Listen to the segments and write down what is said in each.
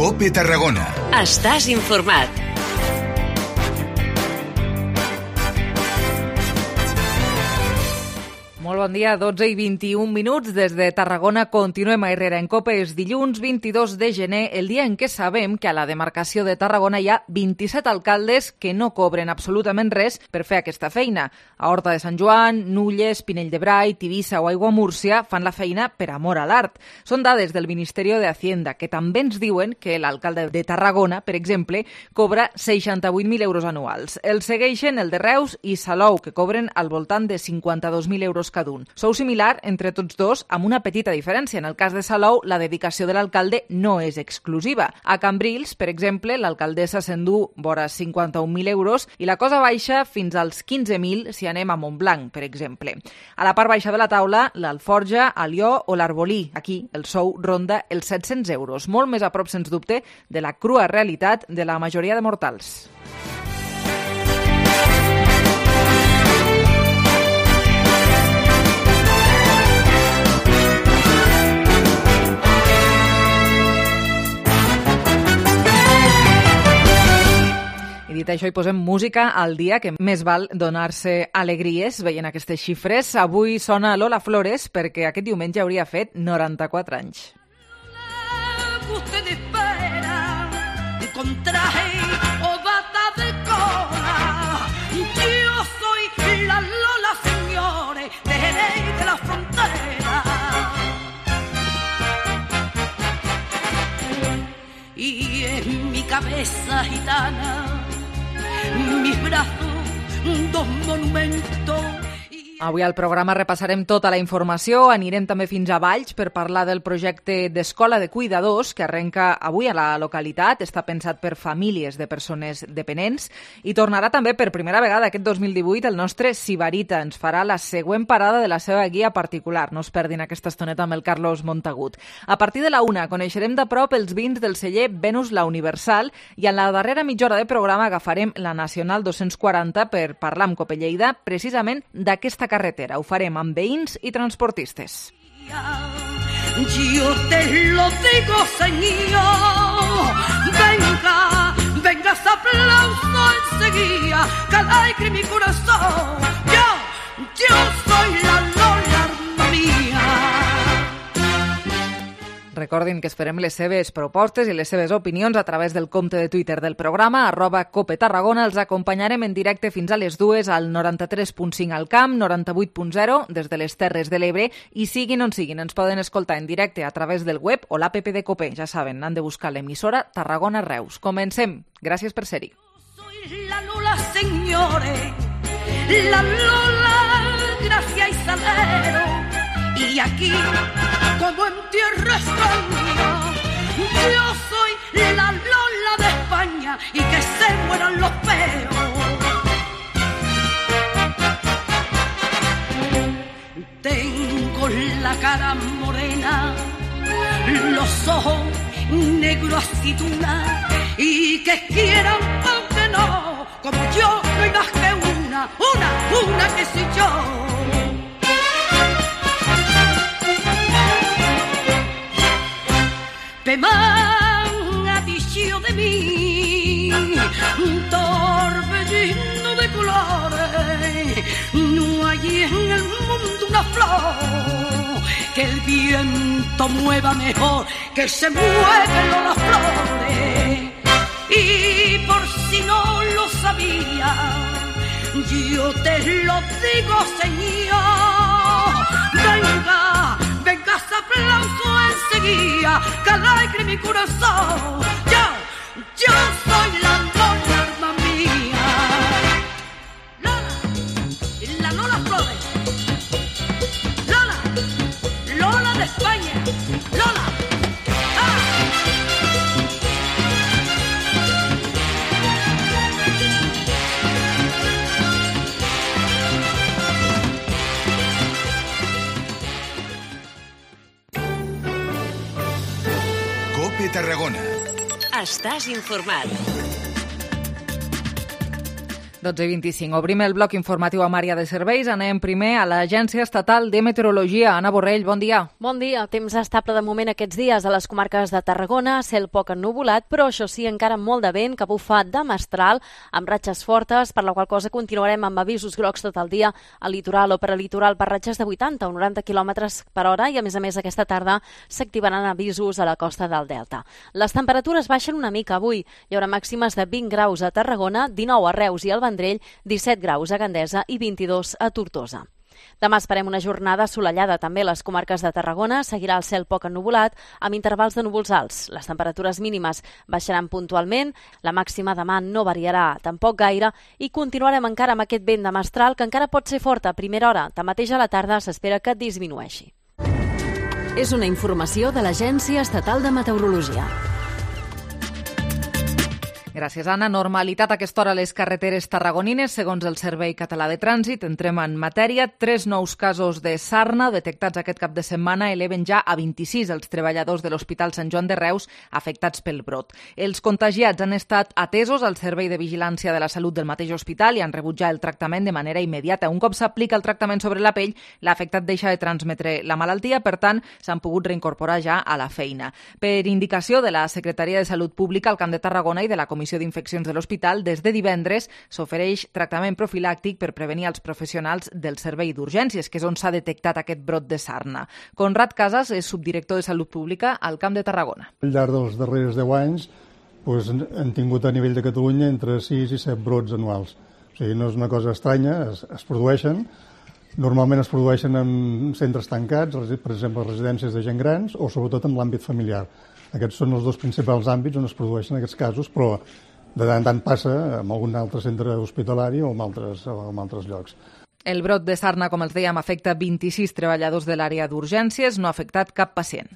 COPE Tarragona. Estàs informat. Molt bon dia, 12 i 21 minuts. Des de Tarragona continuem a Herrera en COPE. És dilluns 22 de gener, el dia en què sabem que a la demarcació de Tarragona hi ha 27 alcaldes que no cobren absolutament res per fer aquesta feina. A Horta de Sant Joan, Nulles, Pinell de Brai, Tivissa o Aiguamúrcia fan la feina per amor a l'art. Són dades del Ministeri de Hacienda, que també ens diuen que l'alcalde de Tarragona, per exemple, cobra 68.000 euros anuals. El segueixen el de Reus i Salou, que cobren al voltant de 52.000 euros cada un. Sou similar entre tots dos, amb una petita diferència. En el cas de Salou, la dedicació de l'alcalde no és exclusiva. A Cambrils, per exemple, l'alcaldessa s'endú vora 51.000 euros i la cosa baixa fins als 15.000 si anem a Montblanc, per exemple. A la part baixa de la taula, l'Alforja, Alió o l'Arbolí. Aquí el sou ronda els 700 euros, molt més a prop, sens dubte, de la crua realitat de la majoria de mortals. I dit això, hi posem música al dia, que més val donar-se alegries veient aquestes xifres. Avui sona Lola Flores perquè aquest diumenge hauria fet 94 anys. Usted espera con traje o bata de cola. Yo soy la Lola, señores, de Jerez de la frontera. Y en mi cabeza gitana, mis brazos, dos monumentos. Avui al programa repassarem tota la informació, anirem també fins a Valls per parlar del projecte d'Escola de Cuidadors que arrenca avui a la localitat, està pensat per famílies de persones dependents i tornarà també per primera vegada aquest 2018 el nostre Sibarita, ens farà la següent parada de la seva guia particular, no es perdin aquesta estoneta amb el Carlos Montagut. A partir de la 1 coneixerem de prop els vins del celler Venus la Universal i en la darrera mitja hora de programa agafarem la Nacional 240 per parlar amb COPE Lleida precisament d'aquesta carretera. Ho farem amb veïns i transportistes. Yo te lo digo, señor. Venga, venga ese aplauso enseguida, que alegre mi corazón. Yo soy la Lola, alma mía. Recordin que esperem les seves propostes i les seves opinions a través del compte de Twitter del programa, @COPETarragona. Els acompanyarem en directe fins a les 2 al 93.5 al Camp, 98.0 des de les Terres de l'Ebre i siguin on siguin, ens poden escoltar en directe a través del web o l'app de COPE. Ja saben, han de buscar l'emissora Tarragona Reus. Comencem. Gràcies per ser-hi. Soy la Lola, señores, la Lola, gracia y salero. Y aquí, como en tierra extraña, yo soy la Lola de España y que se mueran los peos. Tengo la cara morena, los ojos negros aceituna y que quieran aunque no, como yo no hay más que una que soy yo. Me ha dicho de mí un torbellino de colores. No hay en el mundo una flor que el viento mueva mejor que se mueven las flores. Y por si no lo sabía, yo te lo digo, señor. Venga, venga ese aplauso enseguida, que alegre mi corazón. Yo soy la Lola, alma mía. Lola, la Lola Flores. Lola, Lola de España. Lola. COPE Tarragona. Estàs informat. 12:25. Obrim el bloc informatiu amb àrea de serveis. Anem primer a l'Agència Estatal de Meteorologia. Anna Borrell, bon dia. Bon dia. Temps estable de moment aquests dies a les comarques de Tarragona, cel poc ennuvolat, però això sí, encara molt de vent que bufa de mestral, amb ratxes fortes, per la qual cosa continuarem amb avisos grocs tot el dia al litoral o peralitoral per ratxes de 80 o 90 km per hora i, a més, aquesta tarda s'activaran avisos a la costa del Delta. Les temperatures baixen una mica avui. Hi haurà màximes de 20 graus a Tarragona, 19 a Reus i al Vendrell, 17 graus a Gandesa i 22 a Tortosa. Demà esperem una jornada assolellada també a les comarques de Tarragona. Seguirà el cel poc ennuvolat, amb intervals de núvols alts. Les temperatures mínimes baixaran puntualment, la màxima demà no variarà tampoc gaire i continuarem encara amb aquest vent de mestral que encara pot ser fort a primera hora. Tanmateix a la tarda s'espera que disminueixi. És una informació de l'Agència Estatal de Meteorologia. Gràcies, Anna. Normalitat a aquesta hora a les carreteres tarragonines, segons el Servei Català de Trànsit. Entrem en matèria. 3 nous casos de sarna detectats aquest cap de setmana eleven ja a 26 els treballadors de l'Hospital Sant Joan de Reus afectats pel brot. Els contagiats han estat atesos al Servei de Vigilància de la Salut del mateix hospital i han rebut ja el tractament de manera immediata. Un cop s'aplica el tractament sobre la pell, l'afectat deixa de transmetre la malaltia, per tant, s'han pogut reincorporar ja a la feina. Per indicació de la Secretaria de Salut Pública al Camp de Tarragona i de la Comissió d'Infeccions de l'Hospital, des de divendres s'ofereix tractament profilàctic per prevenir els professionals del servei d'urgències, que és on s'ha detectat aquest brot de sarna. Conrad Casas és subdirector de Salut Pública al Camp de Tarragona. Al llarg dels darrers 10 anys han tingut a nivell de Catalunya entre 6 i 7 brots anuals. O sigui, no és una cosa estranya, es produeixen. Normalment es produeixen en centres tancats, per exemple, residències de gent grans o sobretot en l'àmbit familiar. Aquests són els dos principals àmbits on es produeixen aquests casos, però de tant en tant passa en algun altre centre hospitalari o en altres llocs. El brot de sarna, com els dèiem, afecta 26 treballadors de l'àrea d'urgències, no ha afectat cap pacient.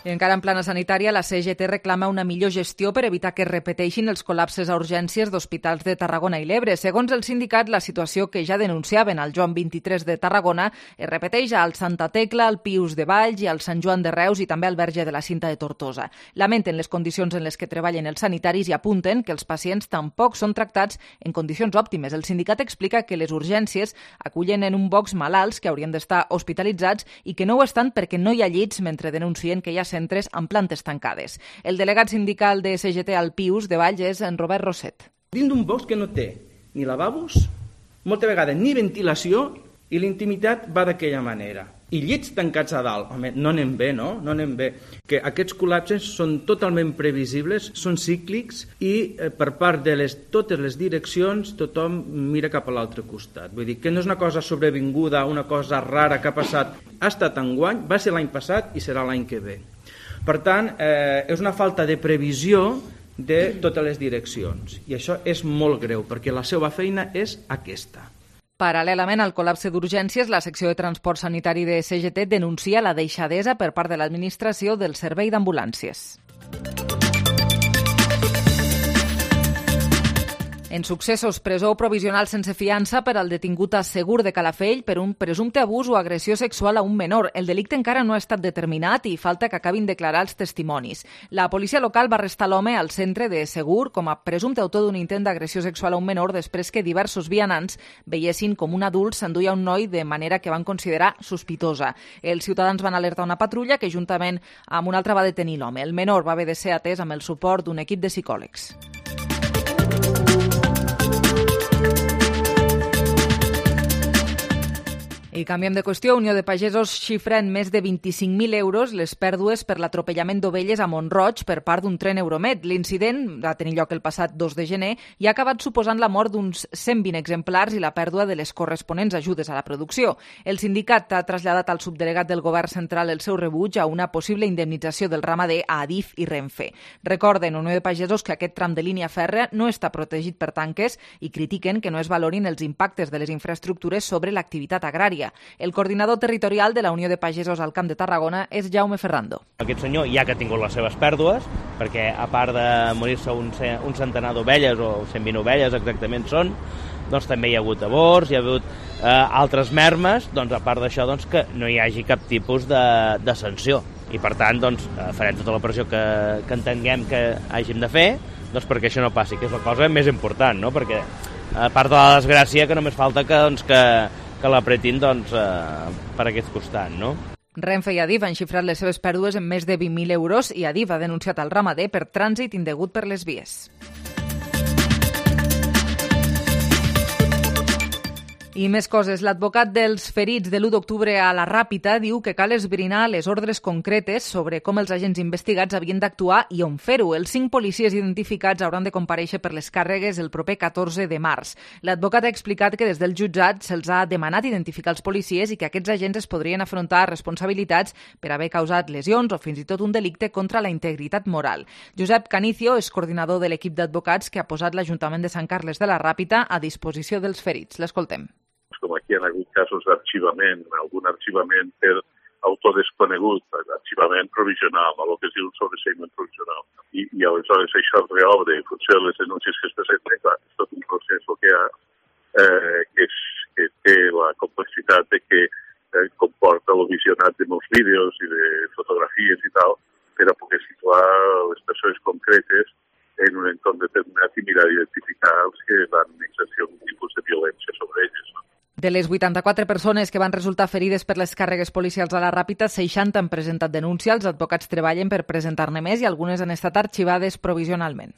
I encara en plana sanitària, la CGT reclama una millor gestió per evitar que es repeteixin els col·lapses a urgències d'hospitals de Tarragona i l'Ebre. Segons el sindicat, la situació que ja denunciaven al Joan 23 de Tarragona es repeteix al Santa Tecla, al Pius de Valls i al Sant Joan de Reus i també al Verge de la Cinta de Tortosa. Lamenten les condicions en les que treballen els sanitaris i apunten que els pacients tampoc són tractats en condicions òptimes. El sindicat explica que les urgències acullen en un box malalts que haurien d'estar hospitalitzats i que no ho estan perquè no hi ha llits, mentre denuncien que hi ha centres amb plantes tancades. El delegat sindical de CGT al Pius de Valls és en Robert Rosset. Dins d'un box que no té ni lavabos, molta vegada ni ventilació i la intimitat va d'aquella manera. I llits tancats a dalt. Home, no anem bé, no? No anem bé. Que aquests col·lapses són totalment previsibles, són cíclics i per part de totes les direccions tothom mira cap a l'altre costat. Vull dir que no és una cosa sobrevinguda, una cosa rara que ha passat. Ha estat enguany, va ser l'any passat i serà l'any que ve. Per tant, és una falta de previsió de totes les direccions. I això és molt greu, perquè la seva feina és aquesta. Paral·lelament al col·lapse d'urgències, la secció de transport sanitari de CGT denuncia la deixadesa per part de l'administració del servei d'ambulàncies. En successos, presó provisional sense fiança per al detingut a Segur de Calafell per un presumpte abús o agressió sexual a un menor. El delicte encara no ha estat determinat i falta que acabin declarar els testimonis. La policia local va arrestar l'home al centre de Segur com a presumpte autor d'un intent d'agressió sexual a un menor després que diversos vianants veiessin com un adult s'enduia un noi de manera que van considerar sospitosa. Els ciutadans van alertar una patrulla que juntament amb una altra va detenir l'home. El menor va haver de ser atès amb el suport d'un equip de psicòlegs. I canviem de qüestió. Unió de Pagesos xifra en més de 25.000 euros les pèrdues per l'atropellament d'ovelles a Mont-roig per part d'un tren Euromed. L'incident va tenir lloc el passat 2 de gener i ha acabat suposant la mort d'uns 120 exemplars i la pèrdua de les corresponents ajudes a la producció. El sindicat ha traslladat al subdelegat del govern central el seu rebuig a una possible indemnització del ramader a Adif i Renfe. Recorden, Unió de Pagesos, que aquest tram de línia fèrrea no està protegit per tanques i critiquen que no es valorin els impactes de les infraestructures sobre l'activitat agrària. El coordinador territorial de la Unió de Pagesos al Camp de Tarragona és Jaume Ferrando. Aquest senyor ja que ha tingut les seves pèrdues, perquè a part de morir-se un centenar d'ovelles, o 120 ovelles exactament són, doncs també hi ha hagut aborts, hi ha hagut altres mermes, doncs a part d'això doncs, que no hi hagi cap tipus de sanció. I per tant, doncs, farem tota la pressió que entenguem que hàgim de fer, doncs, perquè això no passi, que és la cosa més important, no? Perquè a part de la desgràcia que només falta que l'apretin, doncs, per aquest costat, no? Renfe i Adif han xifrat les seves pèrdues en més de 20.000 euros i Adif ha denunciat al ramader per trànsit indegut per les vies. I més coses. L'advocat dels ferits de l'1 d'octubre a la Ràpita diu que cal esbrinar les ordres concretes sobre com els agents investigats havien d'actuar i on fer-ho. Els 5 policies identificats hauran de comparèixer per les càrregues el proper 14 de març. L'advocat ha explicat que des del jutjat se'ls ha demanat identificar els policies i que aquests agents es podrien afrontar responsabilitats per haver causat lesions o fins i tot un delicte contra la integritat moral. Josep Canicio és coordinador de l'equip d'advocats que ha posat l'Ajuntament de Sant Carles de la Ràpita a disposició dels ferits. L'escoltem. Com aquí han hagut casos d'arxivament, algun arxivament per autor desconegut, arxivament provisional, el que es diu un sobreseïment provisional. I aleshores això es reobre en funció de les denúncies que es presenten. Clar, és tot un procés que hi ha, que té la complexitat de que comporta el visionat de molts vídeos i de fotografies i tal, per a poder situar les persones concretes en un entorn determinat i mirar d'identificar els que van exercir algun tipus de violència sobre elles, no? De les 84 persones que van resultar ferides per les càrregues policials a la Ràpita, 60 han presentat denúncia, els advocats treballen per presentar-ne més i algunes han estat arxivades provisionalment.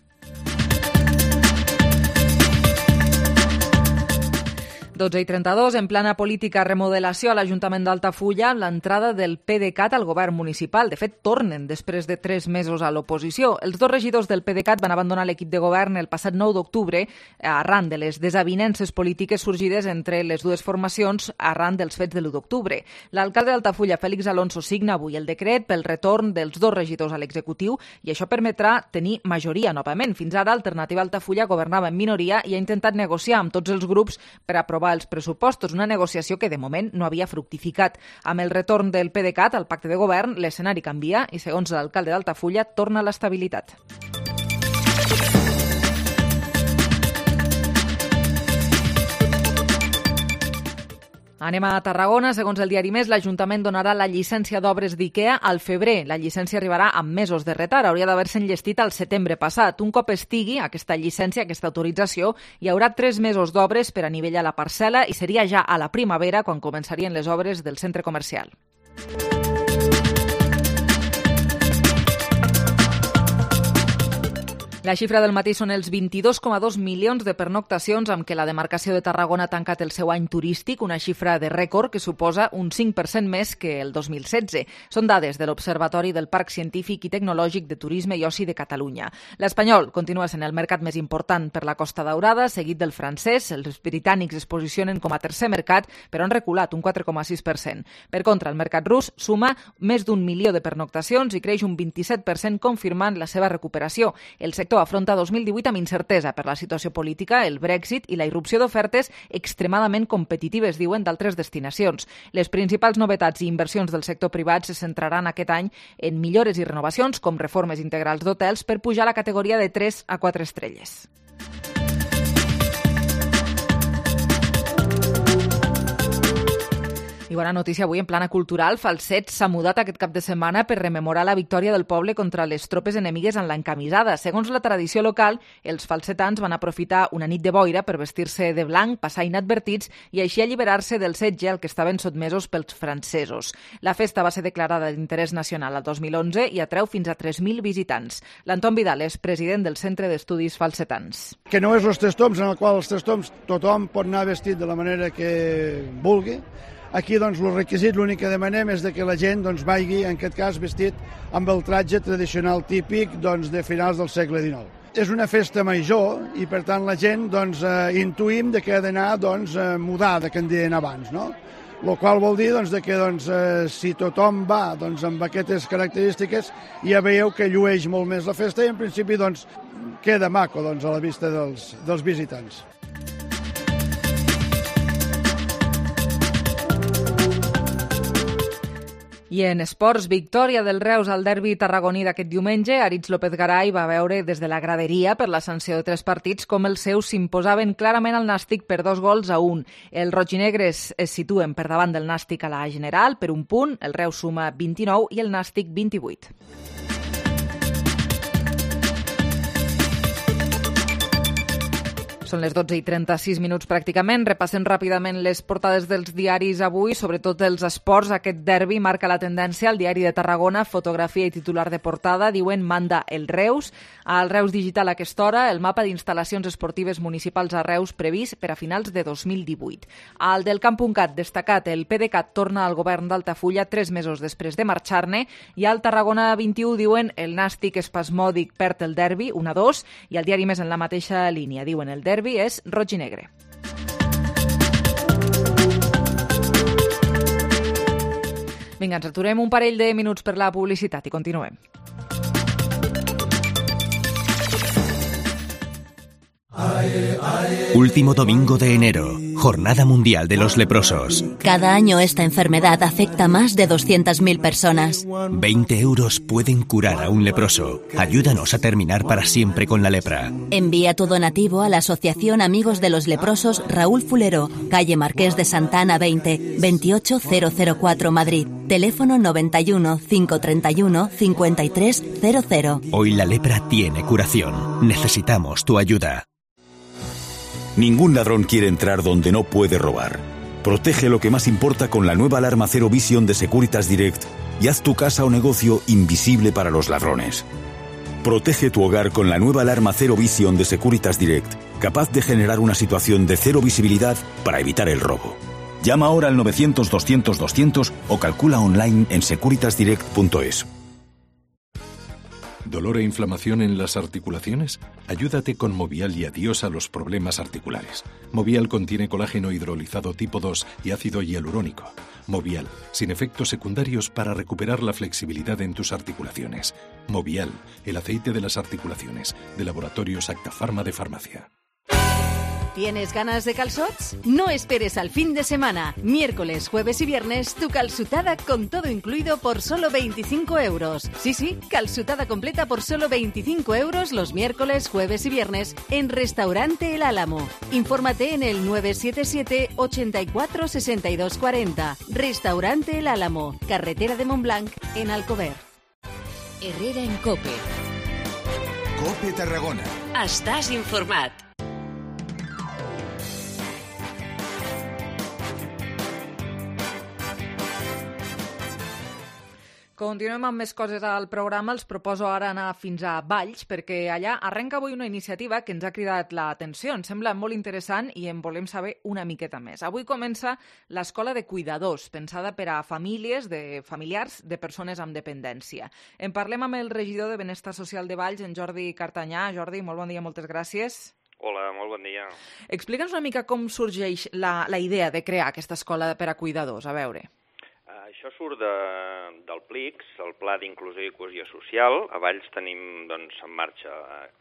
12:32, en plana política, remodelació a l'Ajuntament d'Altafulla, l'entrada del PDeCAT al govern municipal. De fet, tornen després de 3 mesos a l'oposició. Els 2 regidors del PDeCAT van abandonar l'equip de govern el passat 9 d'octubre arran de les desavinences polítiques sorgides entre les dues formacions arran dels fets de l'1 d'octubre. L'alcalde d'Altafulla, Fèlix Alonso, signa avui el decret pel retorn dels 2 regidors a l'executiu i això permetrà tenir majoria novament. Fins ara, Alternativa Altafulla governava en minoria i ha intentat negociar amb tots els grups per aprovar els pressupostos, una negociació que de moment no havia fructificat. Amb el retorn del PDeCAT al pacte de govern, l'escenari canvia i, segons l'alcalde d'Altafulla, torna l'estabilitat. Anem a Tarragona. Segons el diari Més, l'Ajuntament donarà la llicència d'obres d'IKEA al febrer. La llicència arribarà amb mesos de retard. Hauria d'haver-se enllestit al setembre passat. Un cop estigui aquesta llicència, aquesta autorització, hi haurà 3 mesos d'obres per anivellar la parcel·la i seria ja a la primavera quan començarien les obres del centre comercial. La xifra del matí són els 22,2 milions de pernoctacions amb què la demarcació de Tarragona ha tancat el seu any turístic, una xifra de rècord que suposa un 5% més que el 2016. Són dades de l'Observatori del Parc Científic i Tecnològic de Turisme i Oci de Catalunya. L'espanyol continua sent el mercat més important per la Costa Daurada, seguit del francès. Els britànics es posicionen com a tercer mercat, però han reculat un 4,6%. Per contra, el mercat rus suma més d'1 milió de pernoctacions i creix un 27%, confirmant la seva recuperació. El sector afronta 2018 amb incertesa per la situació política, el Brexit i la irrupció d'ofertes extremadament competitives, diuen, d'altres destinacions. Les principals novetats i inversions del sector privat se centraran aquest any en millores i renovacions, com reformes integrals d'hotels per pujar la categoria de 3 a 4 estrelles. I bona notícia avui en plana cultural. Falset s'ha mudat aquest cap de setmana per rememorar la victòria del poble contra les tropes enemigues en l'encamisada. Segons la tradició local, els falsetans van aprofitar una nit de boira per vestir-se de blanc, passar inadvertits i així alliberar-se del setge al que estaven sotmesos pels francesos. La festa va ser declarada d'interès nacional el 2011 i atreu fins a 3.000 visitants. L'Anton Vidal és president del Centre d'Estudis Falsetans. Que no és els tres toms, en el qual els tres toms tothom pot anar vestit de la manera que vulgui. Aquí, doncs, el requisit, l'únic que demanem és que la gent vagi, en aquest cas, vestit amb el tratge tradicional típic de finals del segle XIX. És una festa major i, per tant, la gent intuïm que ha d'anar mudada, que en deien abans, no? El qual vol dir que si tothom va amb aquestes característiques ja veieu que llueix molt més la festa i, en principi, queda maco a la vista dels visitants. I en esports, victòria del Reus al derbi tarragoní d'aquest diumenge. Aritz López Garay va veure des de la graderia per la sanció de 3 partits com els seus s'imposaven clarament al Nàstic per 2-1. Els rojinegres es situen per davant del Nàstic a la general per 1 punt, el Reus suma 29 i el Nàstic 28. Són les 12:36 pràcticament. Repassem ràpidament les portades dels diaris avui, sobretot els esports. Aquest derbi marca la tendència. El diari de Tarragona, fotografia i titular de portada, diuen manda el Reus. Al Reus Digital a aquesta hora, el mapa d'instal·lacions esportives municipals a Reus previst per a finals de 2018. Al del Camp.cat, destacat, el PDeCAT torna al govern d'Altafulla 3 mesos després de marxar-ne, i al Tarragona 21 diuen el Nàstic espasmòdic perd el derbi 1-2, i al diari Més en la mateixa línia diuen el derbi és roig i negre. Vinga, ens aturem un parell de minuts per la publicitat i continuem. Último domingo de enero, Jornada Mundial de los Leprosos. Cada año esta enfermedad afecta a más de 200.000 personas. 20 euros pueden curar a un leproso. Ayúdanos a terminar para siempre con la lepra. Envía tu donativo a la Asociación Amigos de los Leprosos Raúl Fulero, calle Marqués de Santa Ana 20, 28004 Madrid. Teléfono 91 531 5300. Hoy la lepra tiene curación. Necesitamos tu ayuda. Ningún ladrón quiere entrar donde no puede robar. Protege lo que más importa con la nueva alarma Zero Vision de Securitas Direct y haz tu casa o negocio invisible para los ladrones. Protege tu hogar con la nueva alarma Zero Vision de Securitas Direct, capaz de generar una situación de cero visibilidad para evitar el robo. Llama ahora al 900-200-200 o calcula online en securitasdirect.es. ¿Dolor e inflamación en las articulaciones? Ayúdate con Movial y adiós a los problemas articulares. Movial contiene colágeno hidrolizado tipo 2 y ácido hialurónico. Movial, sin efectos secundarios para recuperar la flexibilidad en tus articulaciones. Movial, el aceite de las articulaciones, de Laboratorios Acta Pharma de Farmacia. ¿Tienes ganas de calzots? No esperes al fin de semana. Miércoles, jueves y viernes, tu calzutada con todo incluido por solo 25 euros. Sí, calzutada completa por solo 25 euros los miércoles, jueves y viernes en Restaurante El Álamo. Infórmate en el 977 84 62 40. Restaurante El Álamo, carretera de Montblanc, en Alcover. Herrera en COPE. COPE Tarragona. Estàs informat. Continuem amb més coses al programa. Els proposo ara anar fins a Valls, perquè allà arrenca avui una iniciativa que ens ha cridat l'atenció. Ens sembla molt interessant i en volem saber una miqueta més. Avui comença l'Escola de Cuidadors, pensada per a familiars de persones amb dependència. En parlem amb el regidor de Benestar Social de Valls, en Jordi Cartanyà. Jordi, molt bon dia, moltes gràcies. Hola, molt bon dia. Explica'ns una mica com sorgeix la idea de crear aquesta escola per a cuidadors. A veure. Això surt del PLICS, el Pla d'Inclusió i Cohesió Social. A Valls tenim en marxa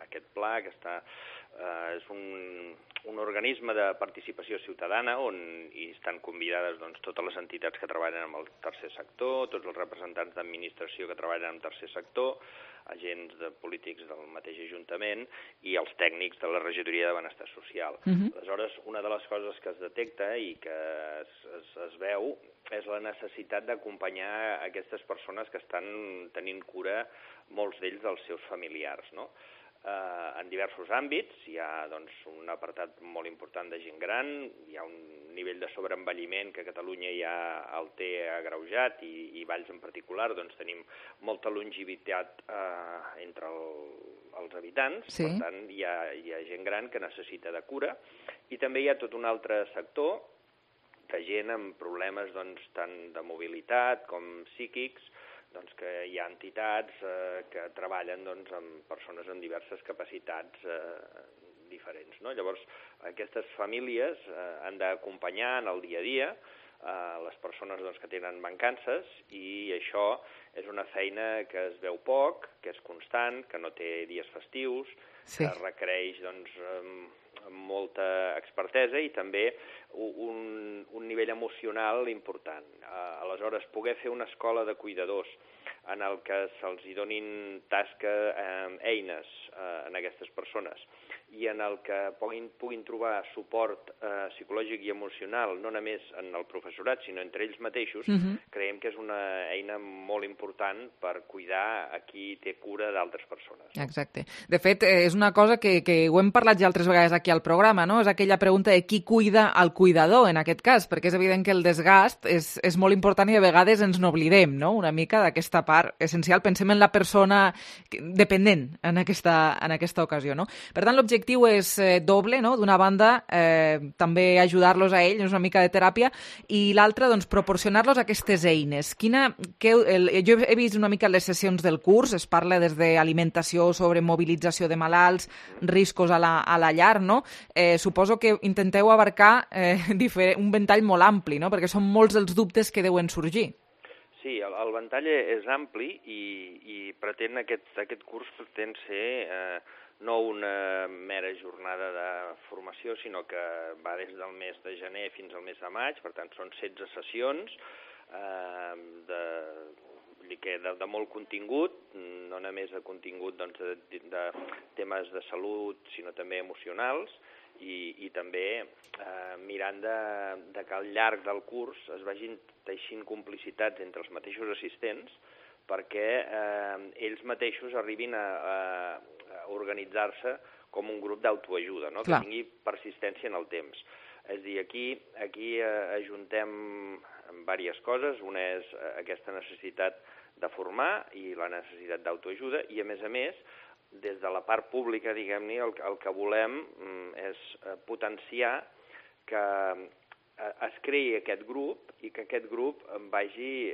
aquest pla, que és un organisme de participació ciutadana on hi estan convidades totes les entitats que treballen amb el tercer sector, tots els representants d'administració que treballen amb el tercer sector, agents polítics del mateix Ajuntament i els tècnics de la Regidoria de Benestar Social. Aleshores, una de les coses que es detecta i que es veu és la necessitat d'acompanyar aquestes persones que estan tenint cura, molts d'ells, dels seus familiars, no? En diversos àmbits. Hi ha un apartat molt important de gent gran, hi ha un nivell de sobreenvelliment que Catalunya ja el té agreujat i Valls en particular, tenim molta longevitat entre els habitants, per tant hi ha gent gran que necessita de cura, i també hi ha tot un altre sector de gent amb problemes tant de mobilitat com psíquics, que hi ha entitats que treballen amb persones amb diverses capacitats diferents. Llavors, aquestes famílies han d'acompanyar en el dia a dia les persones que tenen mancances, i això és una feina que es veu poc, que és constant, que no té dies festius, que requereix doncs, molta expertesa i també un nivell emocional important. Aleshores, poder fer una escola de cuidadors en el que se'ls donin eines en aquestes persones i en el que puguin trobar suport psicològic i emocional, no només en el professorat, sinó entre ells mateixos, creiem que és una eina molt important per cuidar a qui té cura d'altres persones. Exacte. De fet, és una cosa que ho hem parlat ja altres vegades aquí al programa, no? És aquella pregunta de qui cuida el cuidador, en aquest cas, perquè és evident que el desgast és molt important i a vegades ens n'oblidem, no?, una mica d'aquesta part essencial. Pensem en la persona dependent en aquesta ocasió, no? Per tant, l'objectiu és doble, no? D'una banda, també ajudar-los a ells, una mica de teràpia, i l'altra, doncs, proporcionar-los aquestes eines. Jo he vist una mica les sessions del curs, es parla des d'alimentació, sobre mobilització de malalts, riscos a la llar, no? Suposo que intenteu abarcar un ventall molt ampli, no? Perquè són molts els dubtes que deuen sorgir. Sí, el ventall és ampli i aquest curs pretén ser no una mera jornada de formació, sinó que va des del mes de gener fins al mes de maig, per tant són 16 sessions de molt contingut, no només de contingut de temes de salut, sinó també emocionals, i també mirant de que al llarg del curs es vagin teixint complicitats entre els mateixos assistents perquè ells mateixos arribin a organitzar-se com un grup d'autoajuda, no? Que tingui persistència en el temps. És a dir, aquí ajuntem diverses coses. Una és aquesta necessitat de formar i la necessitat d'autoajuda i, a més, des de la part pública, diguem-ne, el que volem és potenciar que es creï aquest grup i que aquest grup vagi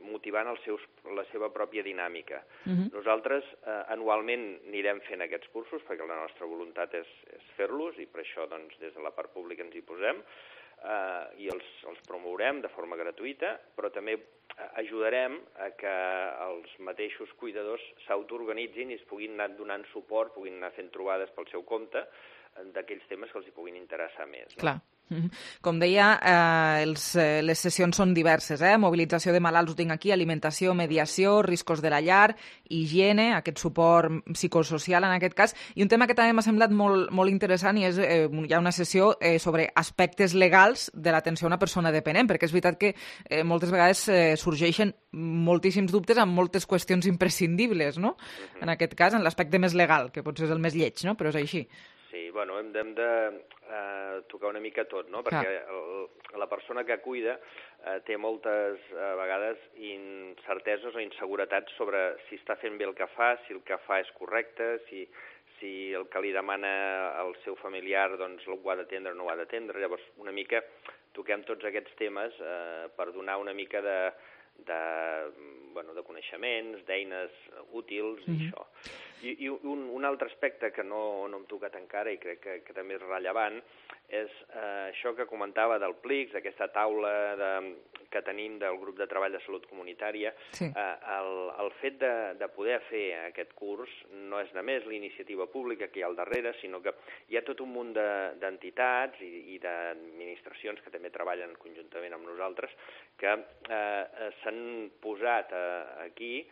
motivant la seva pròpia dinàmica. Nosaltres anualment anirem fent aquests cursos perquè la nostra voluntat és fer-los i per això doncs, des de la part pública ens hi posem i els promourem de forma gratuïta, però també ajudarem a que els mateixos cuidadors s'autoorganitzin i es puguin anar donant suport, puguin anar fent trobades pel seu compte d'aquells temes que els hi puguin interessar més. Clar. Com deia, les sessions són diverses, mobilització de malalts ho tinc aquí, alimentació, mediació, riscos de la llar, higiene, aquest suport psicosocial en aquest cas, i un tema que també m'ha semblat molt interessant i és hi ha una sessió sobre aspectes legals de l'atenció a una persona dependent, perquè és veritat que moltes vegades sorgeixen moltíssims dubtes amb moltes qüestions imprescindibles, no? En aquest cas, en l'aspecte més legal, que potser és el més lleig, no? Però és així. Sí, bueno, hem de tocar una mica tot, no? Perquè la persona que cuida té moltes vegades incerteses o inseguretats sobre si està fent bé el que fa, si el que fa és correcte, si el que li demana el seu familiar doncs ho ha d'atendre o no ho ha d'atendre. Llavors, una mica toquem tots aquests temes per donar una mica de coneixements, d'eines útils i això. I un altre aspecte que no hem tocat encara i crec que també és rellevant és això que comentava del PLICS, aquesta taula que tenim del grup de treball de salut comunitària. Sí. El fet de poder fer aquest curs no és només l'iniciativa pública que hi ha al darrere, sinó que hi ha tot un munt d'entitats i d'administracions que també treballen conjuntament amb nosaltres que s'han posat aquí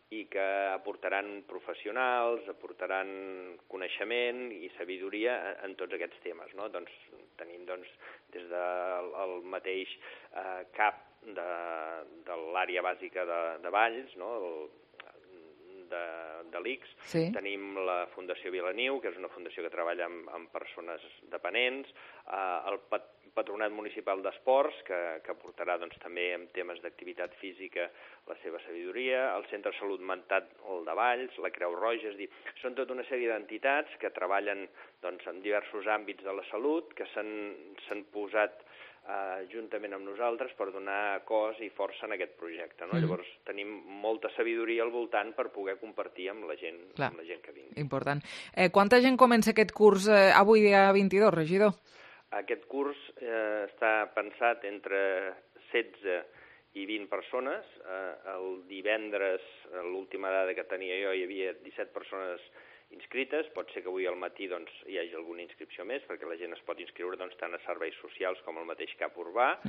i que aportaran professionals, aportaran coneixement i sabidoria en tots aquests temes, no? Doncs tenim des del mateix CAP de l'àrea bàsica de Valls, no? de l'ICS. Sí. Tenim la Fundació Vilaniu, que és una fundació que treballa amb persones dependents, el Patronat Municipal d'Esports, que aportarà també en temes d'activitat física la seva sabidoria, el Centre de Salut Mental de Valls, la Creu Roja, és a dir, són tota una sèrie d'entitats que treballen en diversos àmbits de la salut, que s'han posat juntament amb nosaltres per donar cos i força en aquest projecte. No? Llavors tenim molta sabidoria al voltant per poder compartir amb la gent que vingui. Important. Quanta gent comença aquest curs avui dia 22, regidor? Aquest curs està pensat entre 16 i 20 persones. El divendres, l'última dada que tenia jo, hi havia 17 persones inscrites. Pot ser que avui al matí doncs, hi hagi alguna inscripció més, perquè la gent es pot inscriure doncs, tant a serveis socials com al mateix CAP urbà,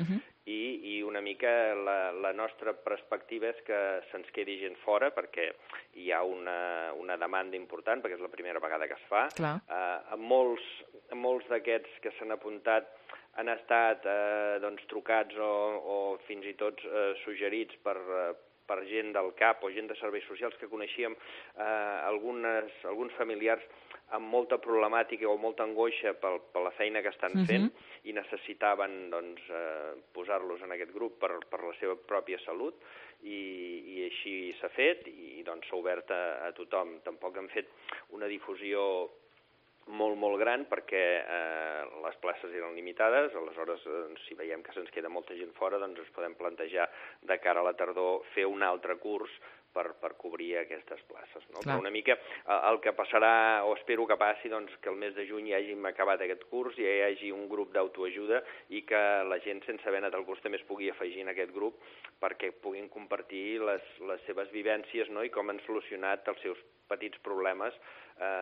i una mica la nostra perspectiva és que se'ns quedi gent fora, perquè hi ha una demanda important, perquè és la primera vegada que es fa. Molts d'aquests que s'han apuntat han estat doncs, trucats o fins i tot suggerits per gent del CAP o gent de serveis socials que coneixíem, alguns familiars amb molta problemàtica o molta angoixa per la feina que estan fent i necessitaven doncs, posar-los en aquest grup per la seva pròpia salut i així s'ha fet i doncs, s'ha obert a tothom. Tampoc hem fet una difusió molt gran perquè les places eren limitades, aleshores si veiem que se'ns queda molta gent fora doncs ens podem plantejar de cara a la tardor fer un altre curs per cobrir aquestes places. No? Però una mica el que passarà, o espero que passi, doncs, que el mes de juny ja hàgim acabat aquest curs i ja hi hagi un grup d'autoajuda i que la gent sense haver anat al curs també es pugui afegir en aquest grup perquè puguin compartir les seves vivències, no? I com han solucionat els seus petits problemes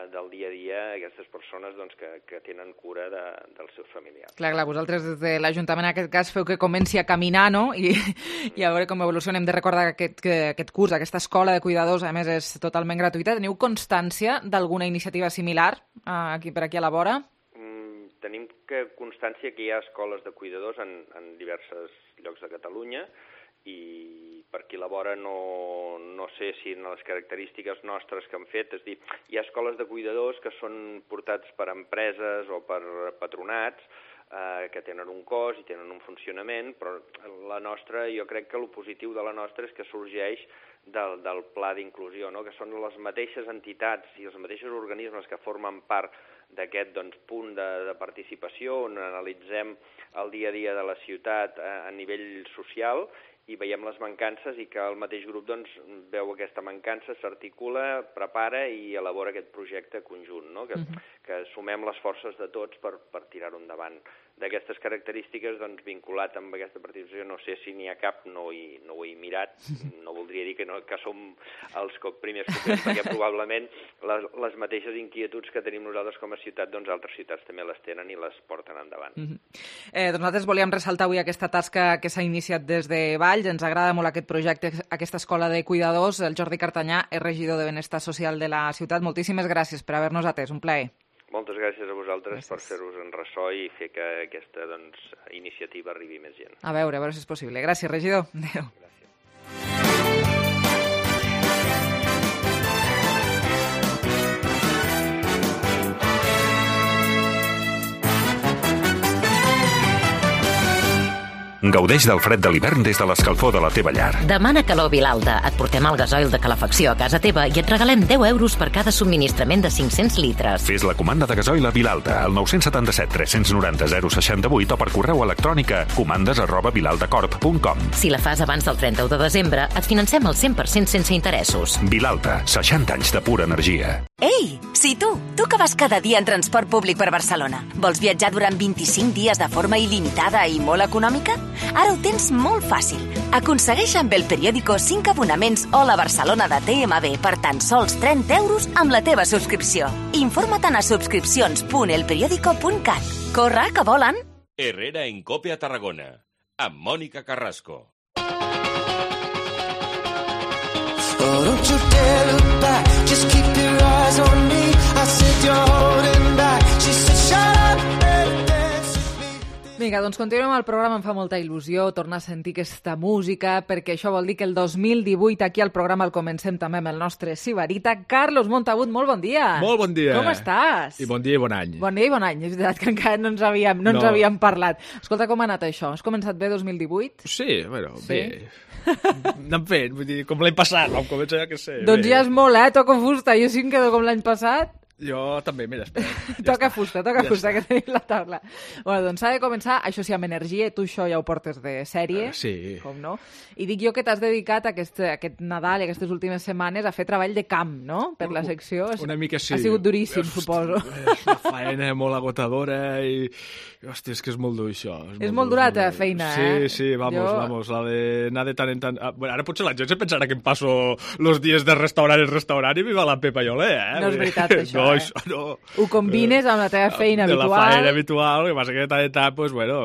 del dia a dia aquestes persones doncs, que tenen cura dels seus familiars. Clar, vosaltres des de l'Ajuntament en aquest cas feu que comenci a caminar, no? I a veure com evoluciona. Hem de recordar que aquest curs, aquesta escola de cuidadors, a més, és totalment gratuïta. Teniu constància d'alguna iniciativa similar per aquí a la vora? Tenim constància que hi ha escoles de cuidadors en diversos llocs de Catalunya i per aquí a la vora no sé si en les característiques nostres que han fet, és a dir, hi ha escoles de cuidadors que són portats per empreses o per patronats que tenen un cost i tenen un funcionament, però la nostra, jo crec que el positiu de la nostra és que sorgeix del pla d'inclusió, no? Que són les mateixes entitats i els mateixos organismes que formen part d'aquest punt de participació on analitzem el dia a dia de la ciutat a nivell social i veiem les mancances i que el mateix grup veu aquesta mancança, s'articula, prepara i elabora aquest projecte conjunt, no? Que sumem les forces de tots per tirar-ho endavant. D'aquestes característiques, vinculat amb aquesta participació, no sé si n'hi ha cap, no ho he mirat, no voldria dir que som els primers copers, perquè probablement les mateixes inquietuds que tenim nosaltres com a ciutat, altres ciutats també les tenen i les porten endavant. Doncs nosaltres volíem ressaltar avui aquesta tasca que s'ha iniciat des de Valls, ens agrada molt aquest projecte, aquesta escola de cuidadors. El Jordi Cartanyà és regidor de Benestar Social de la ciutat. Moltíssimes gràcies per haver-nos atès, un plaer. Moltes gràcies a vosaltres per fer-vos en ressò i fer que aquesta iniciativa arribi més gent. A veure si és possible. Gràcies, regidor. Adéu. Gaudeix del fred de l'hivern des de l'escalfor de la teva llar. Demana calor Vilalta. Et portem el gasoil de calefacció a casa teva i et regalem 10 euros per cada subministrament de 500 litres. Fes la comanda de gasoil a Vilalta al 977 390 068 o per correu electrònic a comandes@vilaltacorp.com. Si la fas abans del 31 de desembre, et financem el 100% sense interessos. Vilalta, 60 anys de pura energia. Ei, si tu que vas cada dia en transport públic per Barcelona, vols viatjar durant 25 dies de forma il·limitada i molt econòmica? Ara ho tens molt fàcil. Aconsegueix amb El Periódico 5 abonaments Hola Barcelona de TMB per tan sols 30 euros amb la teva subscripció. Informa't a subscripcions.elperiodico.cat. Corre, que volen! Herrera en Cope a Tarragona, amb Mònica Carrasco. Oh, don't you dare look back, just keep your eyes on me. I said you're holding back, she said shut up and dance with me. Vinga, doncs continuem el programa, em fa molta il·lusió tornar a sentir aquesta música, perquè això vol dir que el 2018 aquí al programa el comencem també amb el nostre sibarita. Carlos Montagut, molt bon dia. Molt bon dia. Com estàs? I bon dia i bon any. Bon dia i bon any, és veritat que encara no ens havíem parlat. Escolta, com ha anat això? Has començat bé 2018? Sí, bueno, bé. Anem fent, vull dir, com l'any passat, vam començar, ja que sé. Doncs ja és molt, toco fusta, jo sí em quedo com l'any passat. Jo també, mira, espera. Toca fusta, que tenim la taula. Bueno, doncs s'ha de començar, això sí, amb energia, tu això ja ho portes de sèrie, sí. Com no? I dic jo que t'has dedicat aquest Nadal i aquestes últimes setmanes a fer treball de camp, no? Per la secció. Una mica sí. Ha sigut duríssim, suposo. És una faena molt agotadora i... Hòstia, és que és molt dur, això. És molt dura la feina, Sí, vamos, la de anar de tant en tant... Bueno, ara potser la gent se pensarà que em passo los dies de restaurant en restaurant i viva la Pepa i olé, No és veritat, això, això no. Ho combines amb la teva feina habitual. De la feina habitual, que passa que de tant en tant, pues, bueno,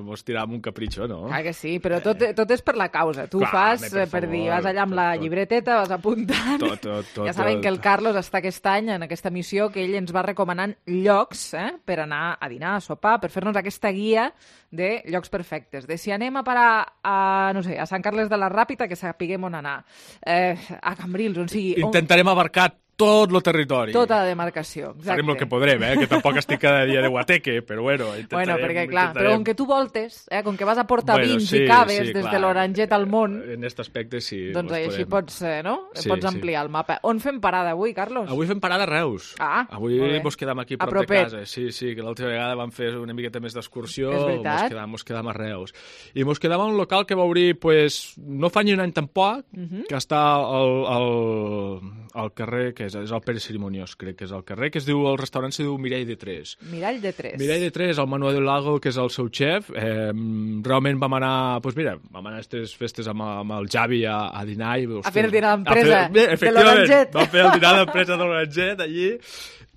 mos tirem un capritxo, no? Clar que sí, però tot és per la causa. Tu fas per dir, vas allà amb la llibreteta, vas apuntant. Tot. Ja saben que el Carlos està aquest any en aquesta missió que ell ens va recomanant llocs per anar a dinar, a sopar, per fer-nos aquesta guia de llocs perfectes. De si anem a parar no sé, a Sant Carles de la Ràpita, que sapiguem on anar. A Cambrils, on sigui. Intentarem abarcar tot el territori. Tota la demarcació, exacte. Farem el que podrem, que tampoc estic cada dia de guateque, però bueno, Bueno, perquè clar, però com que tu voltes, com que vas a portar vins i caves des de l'Oranget al món... En aquest aspecte sí. Doncs així pots, no? Pots ampliar el mapa. On fem parada avui, Carlos? Avui fem parada a Reus. Avui mos quedam aquí prop de casa. Sí, que l'altra vegada vam fer una miqueta més d'excursió. És veritat. Mos quedam a Reus. I mos quedam a un local que va obrir, pues, no fa ni un any tampoc, que està al carrer, que és el Pere Cerimoniós, crec que és el carrer, que el restaurant se diu Mirall de Tres. Mirall de Tres. Mirall de Tres, el Manuel Lago, que és el seu xef. Realment vam anar, doncs mira, vam anar a aquestes festes amb el Javi a dinar. A fer el dinar d'empresa de l'Oranget. Vam fer el dinar d'empresa de l'Oranget allí.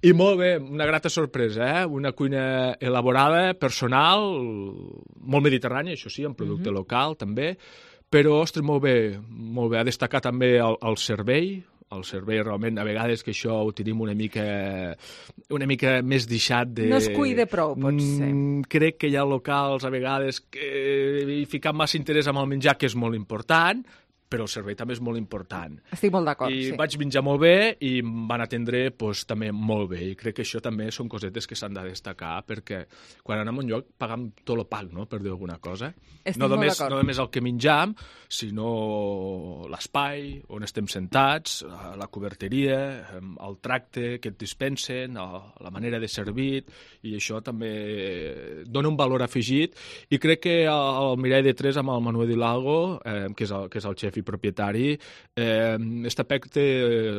I molt bé, una grata sorpresa, una cuina elaborada, personal, molt mediterrània, això sí, amb producte local també, però, ostres, molt bé. Ha destacat també el servei. El servei realment, a vegades que això ho tenim una mica més deixat de... No es cuida prou, potser. Crec que hi ha locals, a vegades, que hi fiquen massa interès amb el menjar, que és molt important, però el servei també és molt important. Estic molt d'acord, sí. I vaig menjar molt bé i em van atendre també molt bé. I crec que això també són cosetes que s'han de destacar, perquè quan anem a un lloc pagam tot el pack, no?, per dir alguna cosa. Estic molt d'acord. No només el que menjam, sinó l'espai on estem sentats, la coberteria, el tracte que et dispensen, la manera de servir, i això també dona un valor afegit. I crec que el Mirall de Tres amb el Manuel Hidalgo, que és el xef i propietari, aquest aspecte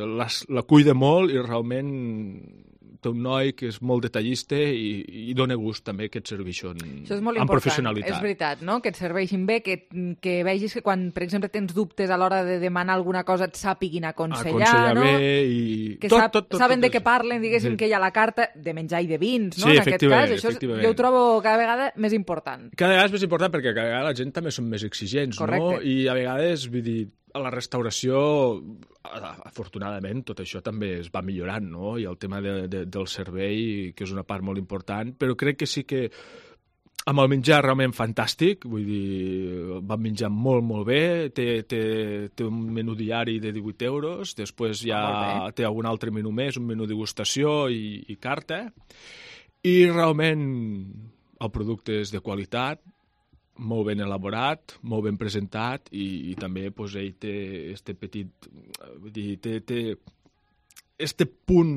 la cuida molt i realment té un noi que és molt detallista i dona gust també que et serveixin amb professionalitat. És veritat, no? Que et serveixin bé, que vegis que quan, per exemple, tens dubtes a l'hora de demanar alguna cosa et sàpiguin aconsellar, no? Bé i... Que saben de què parlen, diguéssim, que hi ha la carta de menjar i de vins, no? Sí, en aquest cas, això jo ho trobo cada vegada més important. Cada vegada és més important perquè cada vegada la gent també són més exigents, no? I a vegades, vull dir, a la restauració, afortunadament, tot això també es va millorant, no? I el tema del servei, que és una part molt important, però crec que sí que amb el menjar realment fantàstic, vull dir, vam menjar molt, molt bé, té un menú diari de 18 euros, després ja té algun altre menú més, un menú degustació i carta, i realment el producte és de qualitat, molt ben elaborat, molt ben presentat i també doncs, ell té este petit... Vull dir, té este punt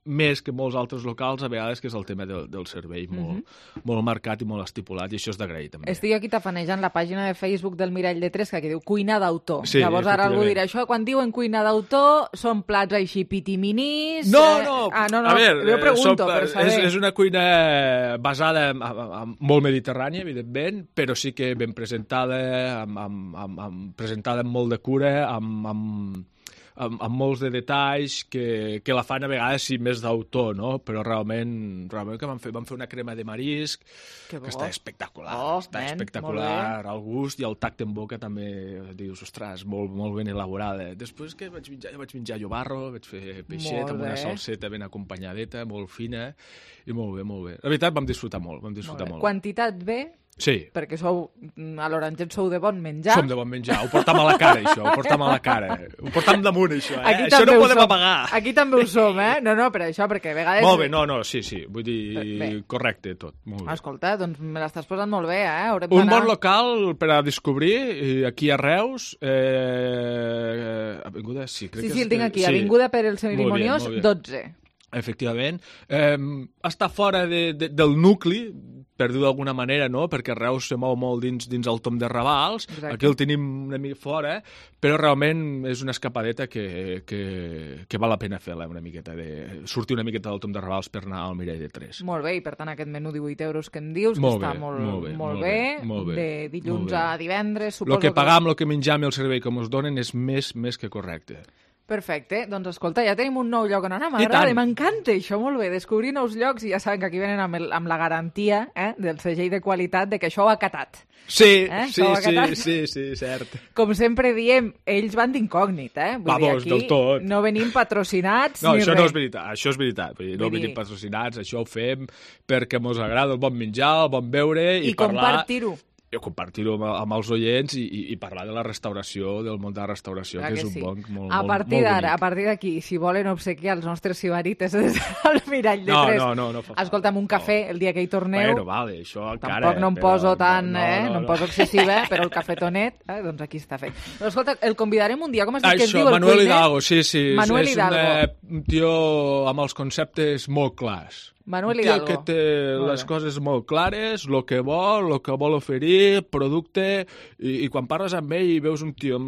més que molts altres locals, a vegades, que és el tema del servei, molt marcat i molt estipulat, i això és d'agrair, també. Estic aquí tafanejant la pàgina de Facebook del Mirall de Tres, que diu cuina d'autor. Sí, llavors ara algú dirà, això, quan diuen cuina d'autor, són plats així pitiminis... No! A veure, jo pregunto, per saber. És una cuina basada en molt mediterrània, evidentment, però sí que ben presentada, presentada amb molt de cura, amb molts de detalls que la fan a vegades sí més d'autor, no? Però realment que vam fer una crema de marisc que està espectacular, espectacular el gust i el tacte en boca també dius, ostres, molt ben elaborada. Després que vaig menjar llobarro, vaig fer peixet amb una salseta ben acompanyadeta, molt fina i molt bé. La veritat vam disfrutar molt. Quantitat bé? Sí. Perquè a l'Oranget sou de bon menjar. Som de bon menjar, ho portam a la cara, això, ho portam damunt, això, Això no ho podem apagar. Aquí també ho som, No, per això, perquè a vegades... Molt bé, sí, vull dir, correcte tot, molt bé. Escolta, doncs me l'estàs posant molt bé, Un bon local per a descobrir, aquí a Reus, Avinguda Sí, el tinc aquí. Avinguda Pere el Cerimoniós, 12. Efectivament. Està fora del nucli, per dir d'alguna manera, no? Perquè Reus se mou molt dins el tomb de Ravals. Exacte. Aquí el tenim una mica fora, però realment és una escapadeta que val la pena fer-la una miqueta, sortir una miqueta del tomb de Ravals per anar al Mirall de 3. Molt bé, i per tant aquest menú 18 euros que em dius, que està molt bé, de dilluns a divendres, suposo. El que pagam, el que menjam i el servei que ens donen és més que correcte. Perfecte, doncs escolta, ja tenim un nou lloc on anar, m'agrada, m'encanta això, molt bé, descobrir nous llocs i ja saben que aquí venen amb la garantia del segell de qualitat de que això ho ha catat. Sí, cert. Com sempre diem, ells van d'incògnit, Vull dir, aquí no venim patrocinats ni res. No, això és veritat, no venim patrocinats, això ho fem perquè ens agrada el bon menjar, el bon beure i parlar... compartir-ho amb els oients i parlar de la restauració, del món de la restauració, que és un món molt bonic. A partir d'aquí, si volen obsequiar els nostres sibarites des del Mirall de 3, no escolta'm, un cafè el dia que hi torneu. Bueno, vale, això encara... Tampoc no em poso tan, no em poso excessiva, però el cafetonet, doncs aquí està fet. Però escolta, el convidarem un dia, com has dit que es diu el cuiner? Manuel Hidalgo, sí. Manuel Hidalgo. És un tio amb els conceptes molt clars. Manuel Hidalgo. Que té les coses molt clares, el que vol oferir, producte, i quan parles amb ell i veus un tio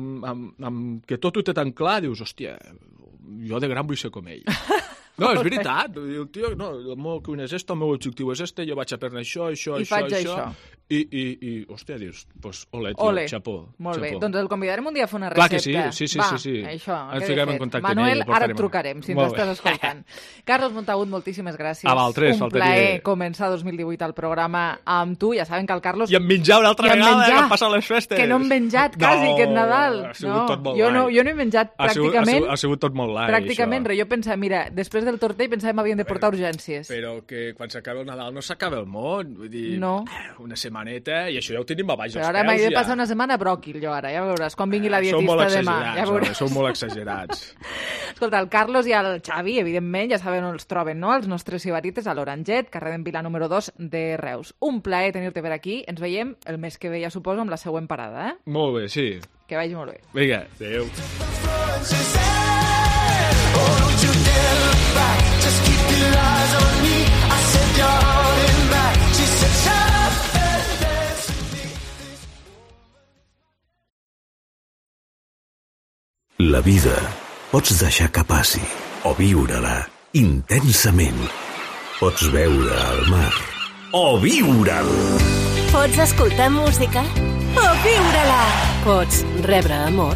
que tot ho té tan clar, dius, hòstia, jo de gran vull ser com ell. No, és veritat. El tio, no, el meu cuina és este, el meu objectiu és este, jo vaig aprendre això. I faig això. I hòstia, dius, doncs, ole, tio, xapó. Molt bé, doncs el convidarem un dia a fer una recepta. Clar que sí. Va, això, ens fiquem en contacte Manuel, ara et trucarem, si ens estàs escoltant. Carlos Montagut, moltíssimes gràcies. A Valtres, un plaer començar 2018 al programa amb tu. Ja saben que el Carlos... I em menjar una altra vegada, que han passat les festes. Que no hem menjat quasi aquest Nadal. Ha sigut tot molt jo no he menjat pràcticament... Ha sigut tot molt light, pràcticament res. Jo pensava, mira, després del tortell pensàvem havien de portar urgències. Però que quan s'acaba el Nadal no s'acaba el món. Vull dir, una setmaneta, i això ja ho tenim a baix dels peus. Però ara m'he de passar una setmana bròquil, jo ara. Ja veuràs, quan vingui la dietista demà. Sou molt exagerats. Escolta, el Carlos i el Xavi, evidentment, ja saben on els troben, no? Els nostres sibarites a l'Oranget, carrer d'en Vila número 2 de Reus. Un plaer tenir-te per aquí. Ens veiem el mes que ve, ja suposo, amb la següent parada, Molt bé, sí. Que vagi molt bé. Vinga, adéu. La vida pots deixar que passi o viure-la intensament. Pots veure el mar o viure'l. Pots escoltar música o viure-la. Pots rebre amor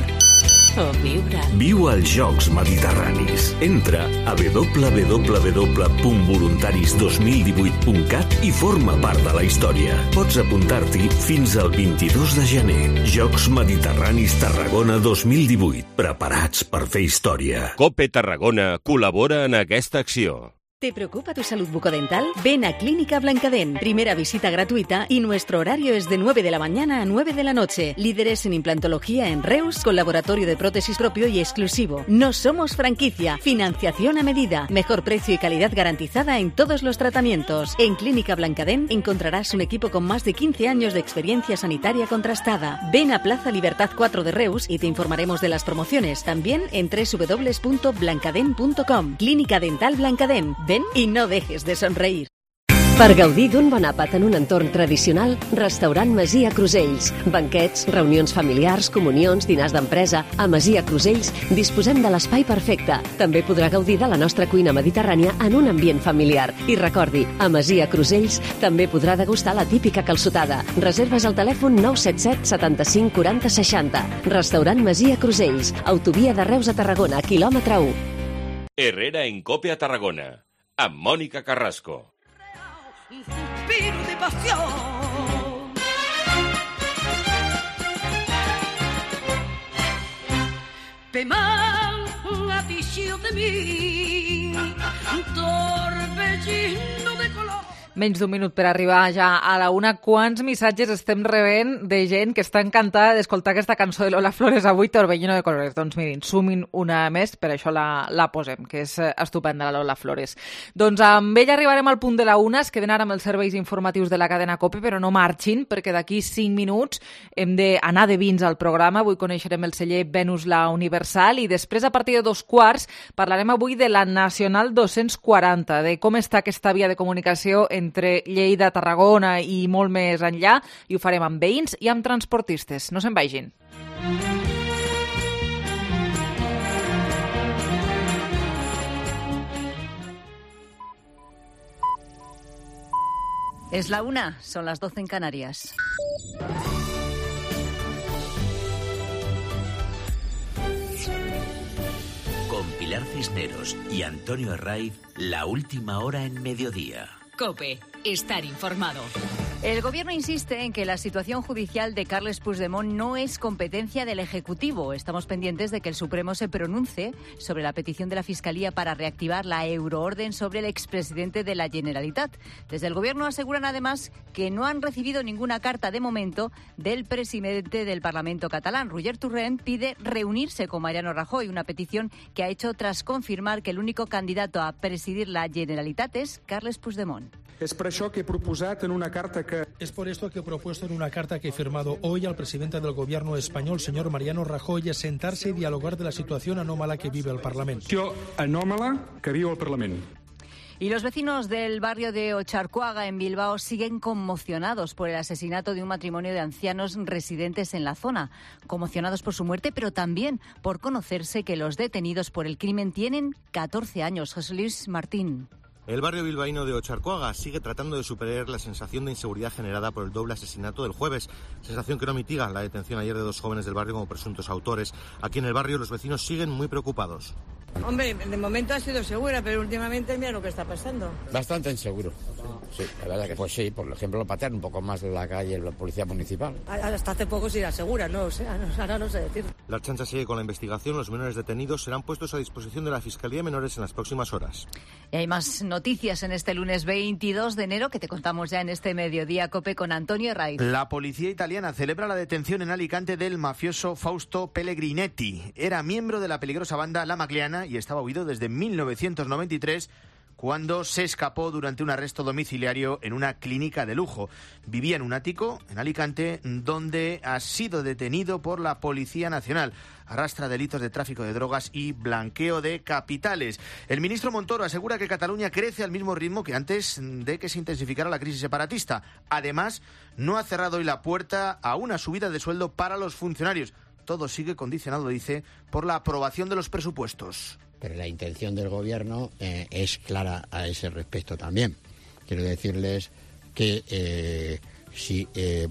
o viure. Viu als Jocs Mediterranis. Entra a www.voluntaris2018.cat i forma part de la història. Pots apuntar-t'hi fins al 22 de gener. Jocs Mediterranis Tarragona 2018. Preparats per fer història. COPE Tarragona col·labora en aquesta acció. ¿Te preocupa tu salud bucodental? Ven a Clínica Blancadent. Primera visita gratuita y nuestro horario es de 9 de la mañana a 9 de la noche. Líderes en implantología en Reus, con laboratorio de prótesis propio y exclusivo. No somos franquicia. Financiación a medida. Mejor precio y calidad garantizada en todos los tratamientos. En Clínica Blancadent encontrarás un equipo con más de 15 años de experiencia sanitaria contrastada. Ven a Plaza Libertad 4 de Reus y te informaremos de las promociones. También en www.blancadent.com. Clínica Dental Blancadent. Ven i no dejes de somreir. Per gaudir d'un bon àpat en un entorn tradicional, Restaurant Masia Crusells. Banquets, reunions familiars, comunions, dinars d'empresa... A Masia Crusells disposem de l'espai perfecte. També podrà gaudir de la nostra cuina mediterrània en un ambient familiar. I recordi, a Masia Crusells també podrà degustar la típica calçotada. Reserves al telèfon 977 75 40 60. Restaurant Masia Crusells. Autovia de Reus a Tarragona, quilòmetre 1. Herrera en COPE a Tarragona, amb Mònica Carrasco. Un suspiro de pasión. Peman afició de mí, un torbellino de color. Menys d'un minut per arribar ja a la una. Quants missatges estem rebent de gent que està encantada d'escoltar aquesta cançó de Lola Flores avui, Torbellino de Colores? Doncs mirin, sumin una més, per això la posem, que és estupenda la Lola Flores. Doncs amb ella arribarem al punt de la una, es queden ara amb els serveis informatius de la cadena COPE, però no marxin, perquè d'aquí 5 minuts hem d'anar de vins al programa. Avui coneixerem el celler Venus la Universal i després, a partir de 2:15, parlarem avui de la Nacional 240, de com està aquesta via de comunicació entre Lleida, Tarragona i molt més enllà, i ho farem amb veïns i amb transportistes. No se'n vagin. Es la 1, son las 12 en Canarias. Con Pilar Cisneros y Antonio Herraiz, la última hora en mediodía. COPE, estar informado. El Gobierno insiste en que la situación judicial de Carles Puigdemont no es competencia del Ejecutivo. Estamos pendientes de que el Supremo se pronuncie sobre la petición de la Fiscalía para reactivar la euroorden sobre el expresidente de la Generalitat. Desde el Gobierno aseguran además que no han recibido ninguna carta de momento del presidente del Parlamento catalán. Roger Torrent pide reunirse con Mariano Rajoy, una petición que ha hecho tras confirmar que el único candidato a presidir la Generalitat es Carles Puigdemont. Es por esto que he propuesto en una carta que he firmado hoy al presidente del gobierno español, señor Mariano Rajoy, a sentarse y dialogar de la situación anómala que vive el Parlamento. Y los vecinos del barrio de Ocharcoaga, en Bilbao, siguen conmocionados por el asesinato de un matrimonio de ancianos residentes en la zona. Conmocionados por su muerte, pero también por conocerse que los detenidos por el crimen tienen 14 años. José Luis Martín. El barrio bilbaíno de Ocharcoaga sigue tratando de superar la sensación de inseguridad generada por el doble asesinato del jueves, sensación que no mitiga la detención ayer de 2 jóvenes del barrio como presuntos autores. Aquí en el barrio los vecinos siguen muy preocupados. Hombre, de momento ha sido segura, pero últimamente mira lo que está pasando. Bastante inseguro. Sí, la verdad que pues sí, por ejemplo, patear un poco más de la calle la policía municipal. Hasta hace poco sí era segura, no sé, ahora no sé decir. La Ertzaintza sigue con la investigación. Los menores detenidos serán puestos a disposición de la Fiscalía de Menores en las próximas horas. Y hay más noticias en este lunes 22 de enero que te contamos ya en este mediodía COPE con Antonio Herraiz. La policía italiana celebra la detención en Alicante del mafioso Fausto Pellegrinetti. Era miembro de la peligrosa banda La Magliana y estaba huido desde 1993, cuando se escapó durante un arresto domiciliario en una clínica de lujo. Vivía en un ático en Alicante, donde ha sido detenido por la Policía Nacional. Arrastra delitos de tráfico de drogas y blanqueo de capitales. El ministro Montoro asegura que Cataluña crece al mismo ritmo que antes de que se intensificara la crisis separatista. Además, no ha cerrado hoy la puerta a una subida de sueldo para los funcionarios. Todo sigue condicionado, dice, por la aprobación de los presupuestos. Pero la intención del Gobierno es clara a ese respecto también. Quiero decirles que si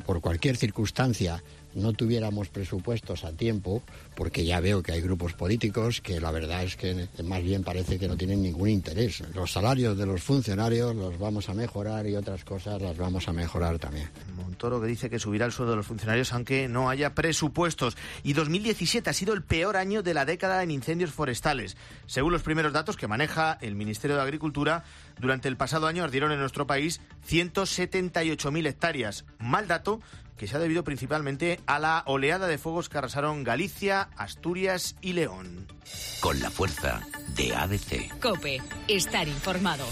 por cualquier circunstancia no tuviéramos presupuestos a tiempo, porque ya veo que hay grupos políticos que la verdad es que más bien parece que no tienen ningún interés. Los salarios de los funcionarios los vamos a mejorar y otras cosas las vamos a mejorar también. Montoro, que dice que subirá el sueldo de los funcionarios aunque no haya presupuestos. Y 2017 ha sido el peor año de la década en incendios forestales. Según los primeros datos que maneja el Ministerio de Agricultura, durante el pasado año ardieron en nuestro país 178.000 hectáreas. Mal dato que se ha debido principalmente a la oleada de fuegos que arrasaron Galicia, Asturias y León. Con la fuerza de ABC. COPE, estar informado.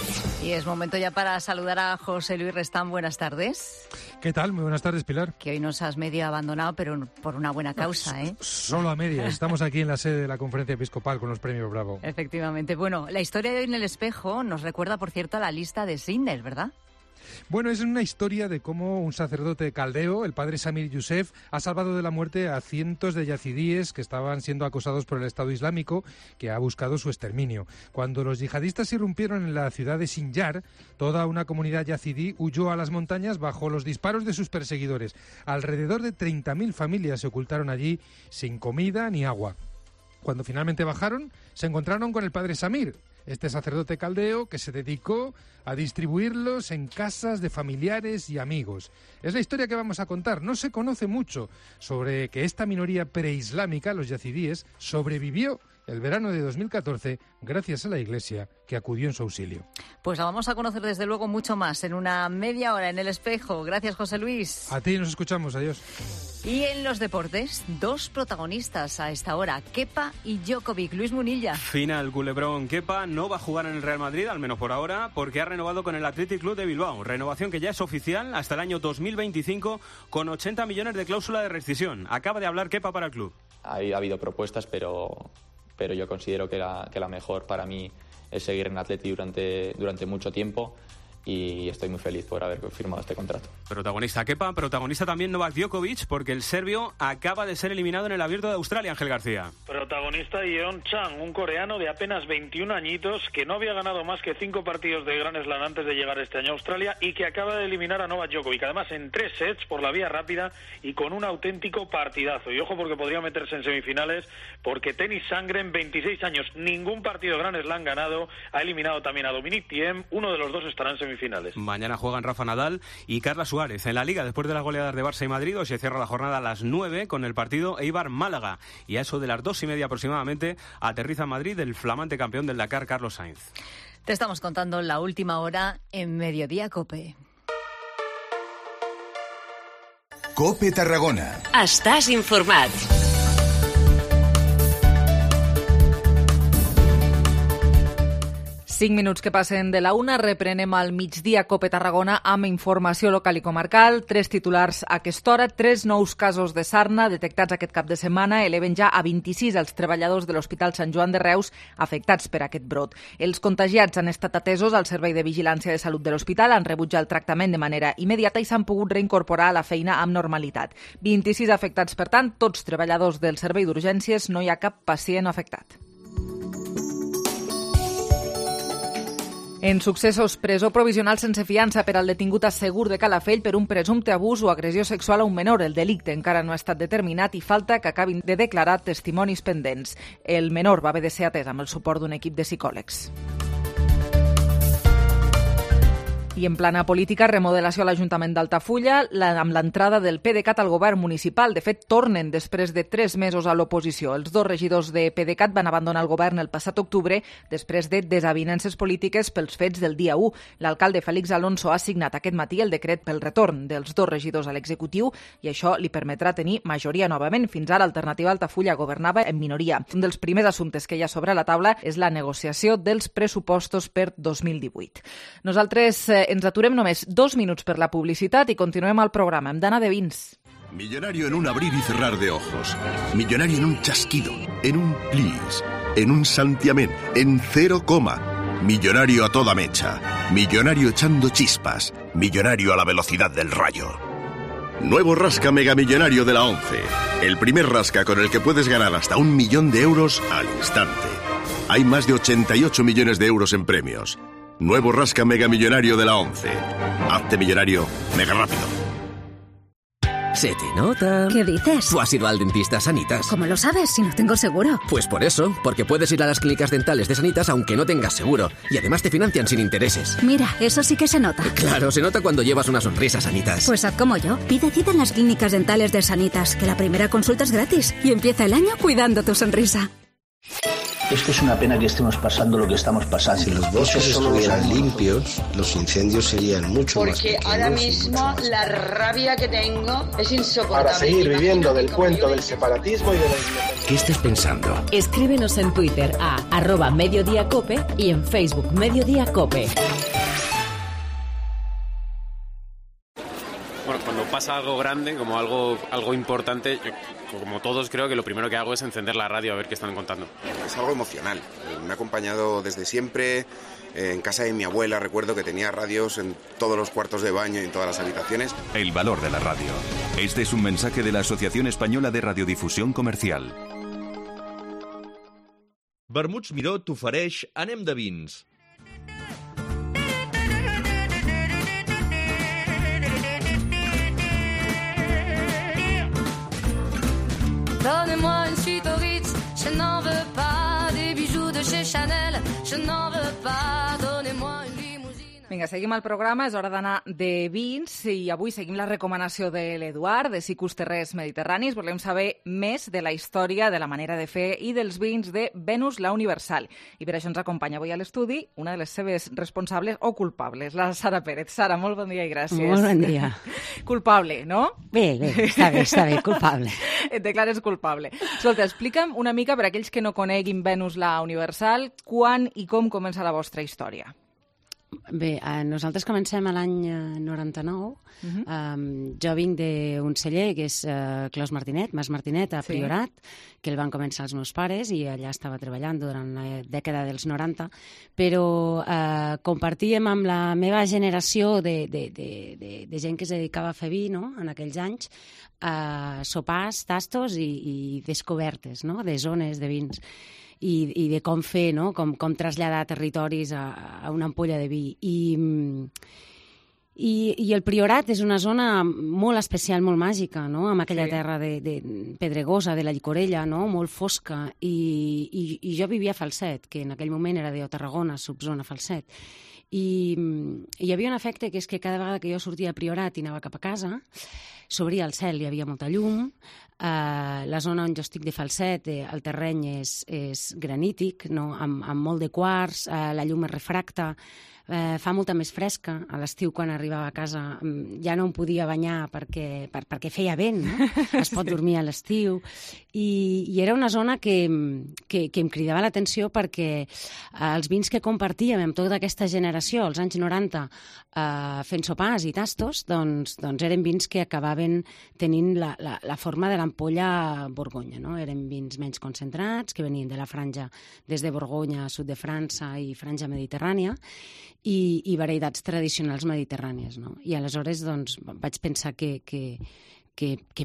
Y es momento ya para saludar a José Luis Restán. Buenas tardes. ¿Qué tal? Muy buenas tardes, Pilar. Que hoy nos has medio abandonado, pero por una buena causa, ¿eh? Solo a medias. Estamos aquí en la sede de la Conferencia Episcopal con los premios Bravo. Efectivamente. Bueno, la historia de hoy en el espejo nos recuerda, por cierto, a la lista de Schindler, ¿verdad? Bueno, es una historia de cómo un sacerdote caldeo, el padre Samir Youssef, ha salvado de la muerte a cientos de yazidíes que estaban siendo acosados por el Estado Islámico, que ha buscado su exterminio. Cuando los yihadistas irrumpieron en la ciudad de Sinjar, toda una comunidad yazidí huyó a las montañas bajo los disparos de sus perseguidores. Alrededor de 30.000 familias se ocultaron allí sin comida ni agua. Cuando finalmente bajaron, se encontraron con el padre Samir, este sacerdote caldeo que se dedicó a distribuirlos en casas de familiares y amigos. Es la historia que vamos a contar. No se conoce mucho sobre que esta minoría preislámica, los yazidíes, sobrevivió el verano de 2014 gracias a la Iglesia que acudió en su auxilio. Pues la vamos a conocer desde luego mucho más en una media hora en El Espejo. Gracias, José Luis. A ti, nos escuchamos. Adiós. Y en los deportes, dos protagonistas a esta hora, Kepa y Djokovic. Luis Munilla. Final, culebrón. Kepa no va a jugar en el Real Madrid, al menos por ahora, porque ha renovado con el Athletic Club de Bilbao. Renovación que ya es oficial hasta el año 2025 con 80 millones de cláusula de rescisión. Acaba de hablar Kepa para el club. Ha habido propuestas, pero yo considero que la mejor para mí es seguir en Athletic durante mucho tiempo. Y estoy muy feliz por haber firmado este contrato. Protagonista Kepa, protagonista también Novak Djokovic, porque el serbio acaba de ser eliminado en el Abierto de Australia, Ángel García. Protagonista Yeon Chang, un coreano de apenas 21 añitos que no había ganado más que 5 partidos de Grand Slam antes de llegar este año a Australia y que acaba de eliminar a Novak Djokovic, además en 3 sets por la vía rápida y con un auténtico partidazo. Y ojo porque podría meterse en semifinales, porque Tennis Sangren, 26 años, ningún partido de Grand Slam ganado, ha eliminado también a Dominic Thiem, uno de los dos estará en semifinales. Mañana juegan Rafa Nadal y Carla Suárez. En la Liga, después de las goleadas de Barça y Madrid, hoy se cierra la jornada a las 9 con el partido Eibar-Málaga. Y a eso de las 2:30 aproximadamente aterriza en Madrid el flamante campeón del Dakar, Carlos Sainz. Te estamos contando la última hora en Mediodía Cope. Cope Tarragona. Estàs informat. 5 minuts que passen de la 1, reprenem al migdia Cope Tarragona amb informació local i comarcal. 3 titulars a aquesta hora, 3 nous casos de sarna detectats aquest cap de setmana eleven ja a 26 els treballadors de l'Hospital Sant Joan de Reus afectats per aquest brot. Els contagiats han estat atesos al Servei de Vigilància de Salut de l'Hospital, han rebut ja el tractament de manera immediata i s'han pogut reincorporar a la feina amb normalitat. 26 afectats, per tant, tots treballadors del Servei d'Urgències, no hi ha cap pacient afectat. En successos, presó provisional sense fiança per al detingut a Segur de Calafell per un presumpte abús o agressió sexual a un menor. El delicte encara no ha estat determinat i falta que acabin de declarar testimonis pendents. El menor va haver de ser atès amb el suport d'un equip de psicòlegs. I en plana política, remodelació a l'Ajuntament d'Altafulla amb l'entrada del PDeCAT al govern municipal. De fet, tornen després de 3 mesos a l'oposició. Els 2 regidors de PDeCAT van abandonar el govern el passat octubre després de desavinences polítiques pels fets del dia 1. L'alcalde Félix Alonso ha signat aquest matí el decret pel retorn dels 2 regidors a l'executiu i això li permetrà tenir majoria novament. Fins ara, Alternativa Altafulla governava en minoria. Un dels primers assumptes que hi ha sobre la taula és la negociació dels pressupostos per 2018. Nosaltres ens aturem només 2 minuts per la publicitat i continuem el programa amb Dana de Vins. Millonario en un abrir y cerrar de ojos. Millonario en un chasquido, en un plis, en un santiamén, en 0, millonario a toda mecha. Millonario echando chispas. Millonario a la velocidad del rayo. Nuevo Rasca Mega Millonario de la 11. El primer rasca con el que puedes ganar hasta 1 millón de euros al instante. Hay más de 88 millones de euros en premios. Nuevo Rasca Mega Millonario de la 11. Hazte millonario mega rápido. Se te nota. ¿Qué dices? Tú has ido al dentista Sanitas. ¿Cómo lo sabes si no tengo seguro? Pues por eso, porque puedes ir a las clínicas dentales de Sanitas aunque no tengas seguro. Y además te financian sin intereses. Mira, eso sí que se nota. Claro, se nota cuando llevas una sonrisa, Sanitas. Pues haz como yo. Pide cita en las clínicas dentales de Sanitas, que la primera consulta es gratis. Y empieza el año cuidando tu sonrisa. Es que es una pena que estemos pasando lo que estamos pasando. Si los bosques estuvieran limpios, los incendios serían mucho más pequeños. Porque ahora mismo la rabia que tengo es insoportable. Para seguir viviendo del cuento del separatismo y de la independencia. ¿Qué estás pensando? Escríbenos en Twitter a @mediodiacope y en Facebook Mediodía Cope. Bueno, cuando pasa algo grande, como algo importante, yo, como todos creo que lo primero que hago es encender la radio a ver qué están contando. Es algo emocional, me ha acompañado desde siempre. En casa de mi abuela recuerdo que tenía radios en todos los cuartos de baño y en todas las habitaciones. El valor de la radio. Este es un mensaje de la Asociación Española de Radiodifusión Comercial. Vermuts Miró t'ofereix Anem de vins. Donnez-moi une suite au Ritz, je n'en veux pas. Des bijoux de chez Chanel, je n'en veux pas. Donnez-moi une limousine. Vinga, seguim el programa, és hora d'anar de vins i avui seguim la recomanació de l'Eduard, de Sicus Terrers Mediterranis. Volem saber més de la història, de la manera de fer i dels vins de Venus la Universal. I per això ens acompanya avui a l'estudi una de les seves responsables o culpables, la Sara Pérez. Sara, molt bon dia i gràcies. Molt bon dia. Culpable, no? Bé, està bé, culpable. Et declares culpable. Escolta, explica'm una mica, per aquells que no coneguin Venus la Universal, quan i com comença la vostra història. Bé, nosaltres comencem a l'any 99. Jo vinc d'un celler que és Clos Martinet, Mas Martinet, a Priorat, que el van començar els meus pares i allà estava treballant durant la dècada dels 90, però compartíem amb la meva generació de gent que es dedicava a fer vi, no?, en aquells anys, sopars, tastos i descobertes, no?, de zones de vins. I de com fer, no?, com traslladar territoris a una ampolla de vi. I el Priorat és una zona molt especial, molt màgica, no?, amb aquella terra de pedregosa, de la Llicorella, no?, molt fosca. I jo vivia a Falset, que en aquell moment era de Tarragona, subzona Falset. I hi havia un efecte que és que cada vegada que jo sortia a Priorat i anava cap a casa, s'obria el cel, hi havia molta llum. La zona on jo estic de Falset, el terreny és granític, no?, amb molt de quars, la llum es refracta, fa molta més fresca. A l'estiu, quan arribava a casa, ja no em podia banyar perquè feia vent, no? Es pot dormir a l'estiu. I era una zona que em cridava l'atenció perquè els vins que compartíem amb tota aquesta generació, als anys 90, fent sopars i tastos, doncs eren vins que acabaven tenint la forma de l'ampolla Borgonya, no? Eren vins menys concentrats, que venien de la franja des de Borgonya, sud de França i franja mediterrània, i varietats tradicionals mediterrànies, no? I aleshores doncs, vaig pensar que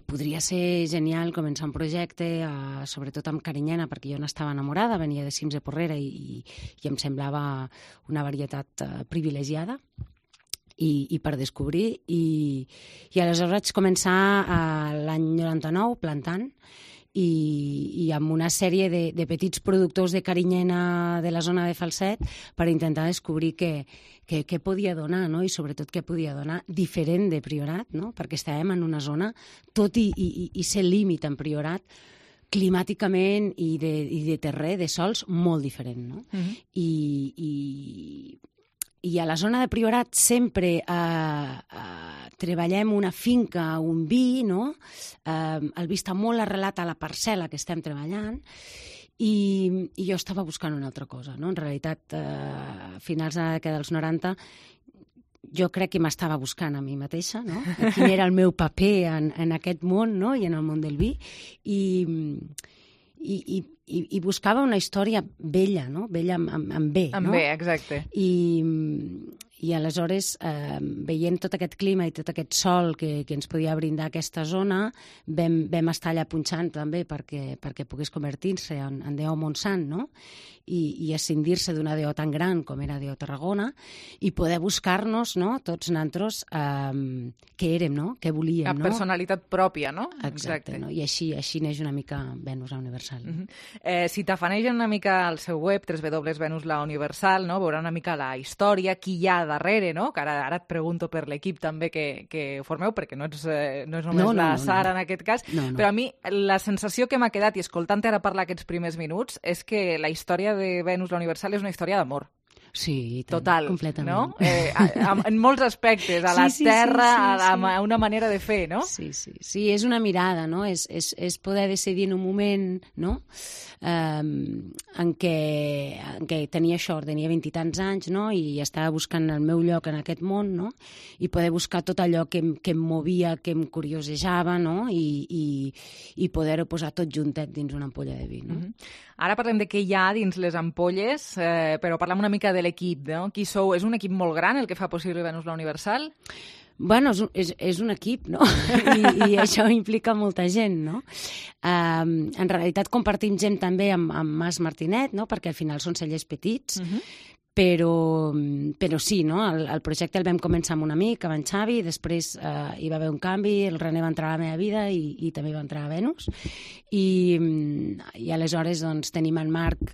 podria ser genial començar un projecte, sobretot amb carinyena, perquè jo n'estava enamorada, venia de cims de Porrera i em semblava una varietat privilegiada i per descobrir. I aleshores vaig començar l'any 99 plantant, i amb una sèrie de petits productors de carinyena de la zona de Falset per intentar descobrir què podia donar, no?, i sobretot què podia donar diferent de Priorat, no?, perquè estàvem en una zona, tot i ser límit en Priorat, climàticament i de terrer, de sols, molt diferent, no? I a la zona de Priorat sempre treballem una finca, un vi, no? El vi està molt arrelat a la parcel·la que estem treballant i jo estava buscant una altra cosa, no? En realitat, a finals de la dècada dels 90, jo crec que m'estava buscant a mi mateixa, no? Quin era el meu paper en aquest món, no?, i en el món del vi, i buscava una història vella, no?, vella amb B, no? Amb B, exacte. I aleshores, veient tot aquest clima i tot aquest sol que ens podia brindar aquesta zona, vam estar allà punxant també perquè pogués convertir-se en DO Montsant, no?, i escindir-se d'una DO tan gran com era DO Tarragona, i poder buscar-nos, no?, tots nosaltres, què érem, no?, què volíem, no? La personalitat pròpia, no? Exacte, no? I així neix una mica Venus la Universal. Si t'afanegen una mica al seu web, www.venuslauniversal, no?, veurà una mica la història, qui hi ha darrere, no?, que ara et pregunto per l'equip també que formeu, perquè no és només la Sara en aquest cas, però a mi la sensació que m'ha quedat, i escoltant-te ara parlar aquests primers minuts, és que la història de Venus la Universal és una història d'amor. Sí, total, completament. No? En molts aspectes, a la terra, a una manera de fer, no? Sí, és una mirada, no? És poder decidir en un moment, no?, en què tenia això, tenia 20 i tants anys, no?, i estava buscant el meu lloc en aquest món, no?, i poder buscar tot allò que em movia, que em curiosejava, no?, i poder-ho posar tot juntet dins una ampolla de vi, no? Ara parlem de què hi ha dins les ampolles, però parlem una mica de l'equip, no? Qui sou? És un equip molt gran el que fa possible Venus la Universal? Bueno, és un equip, no? I això implica molta gent, no? En realitat compartim gent també amb Mas Martinet, no?, perquè al final són cellers petits, però sí, no? El projecte el vam començar amb un amic, amb en Xavi, després hi va haver un canvi, el René va entrar a la meva vida i també va entrar a Venus, i aleshores doncs, tenim en Marc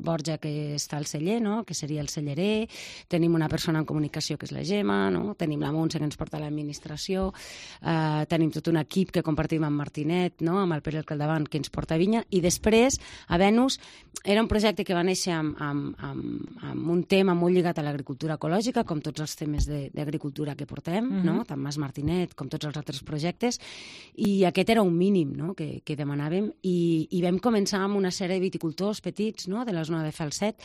Borja, que està al celler, no? Que seria el cellerer, tenim una persona en comunicació que és la Gemma, no? Tenim la Montse que ens porta a l'administració, tenim tot un equip que compartim amb Martinet, no? Amb el Pere Capdavant, que ens porta a Vinya, i després a Venus era un projecte que va néixer amb un tema molt lligat a l'agricultura ecològica, com tots els temes d'agricultura que portem, no? Tant Mas Martinet com tots els altres projectes, i aquest era un mínim, no? que demanàvem, i vam començar amb una sèrie de viticultors petits, no? De la zona de Falset,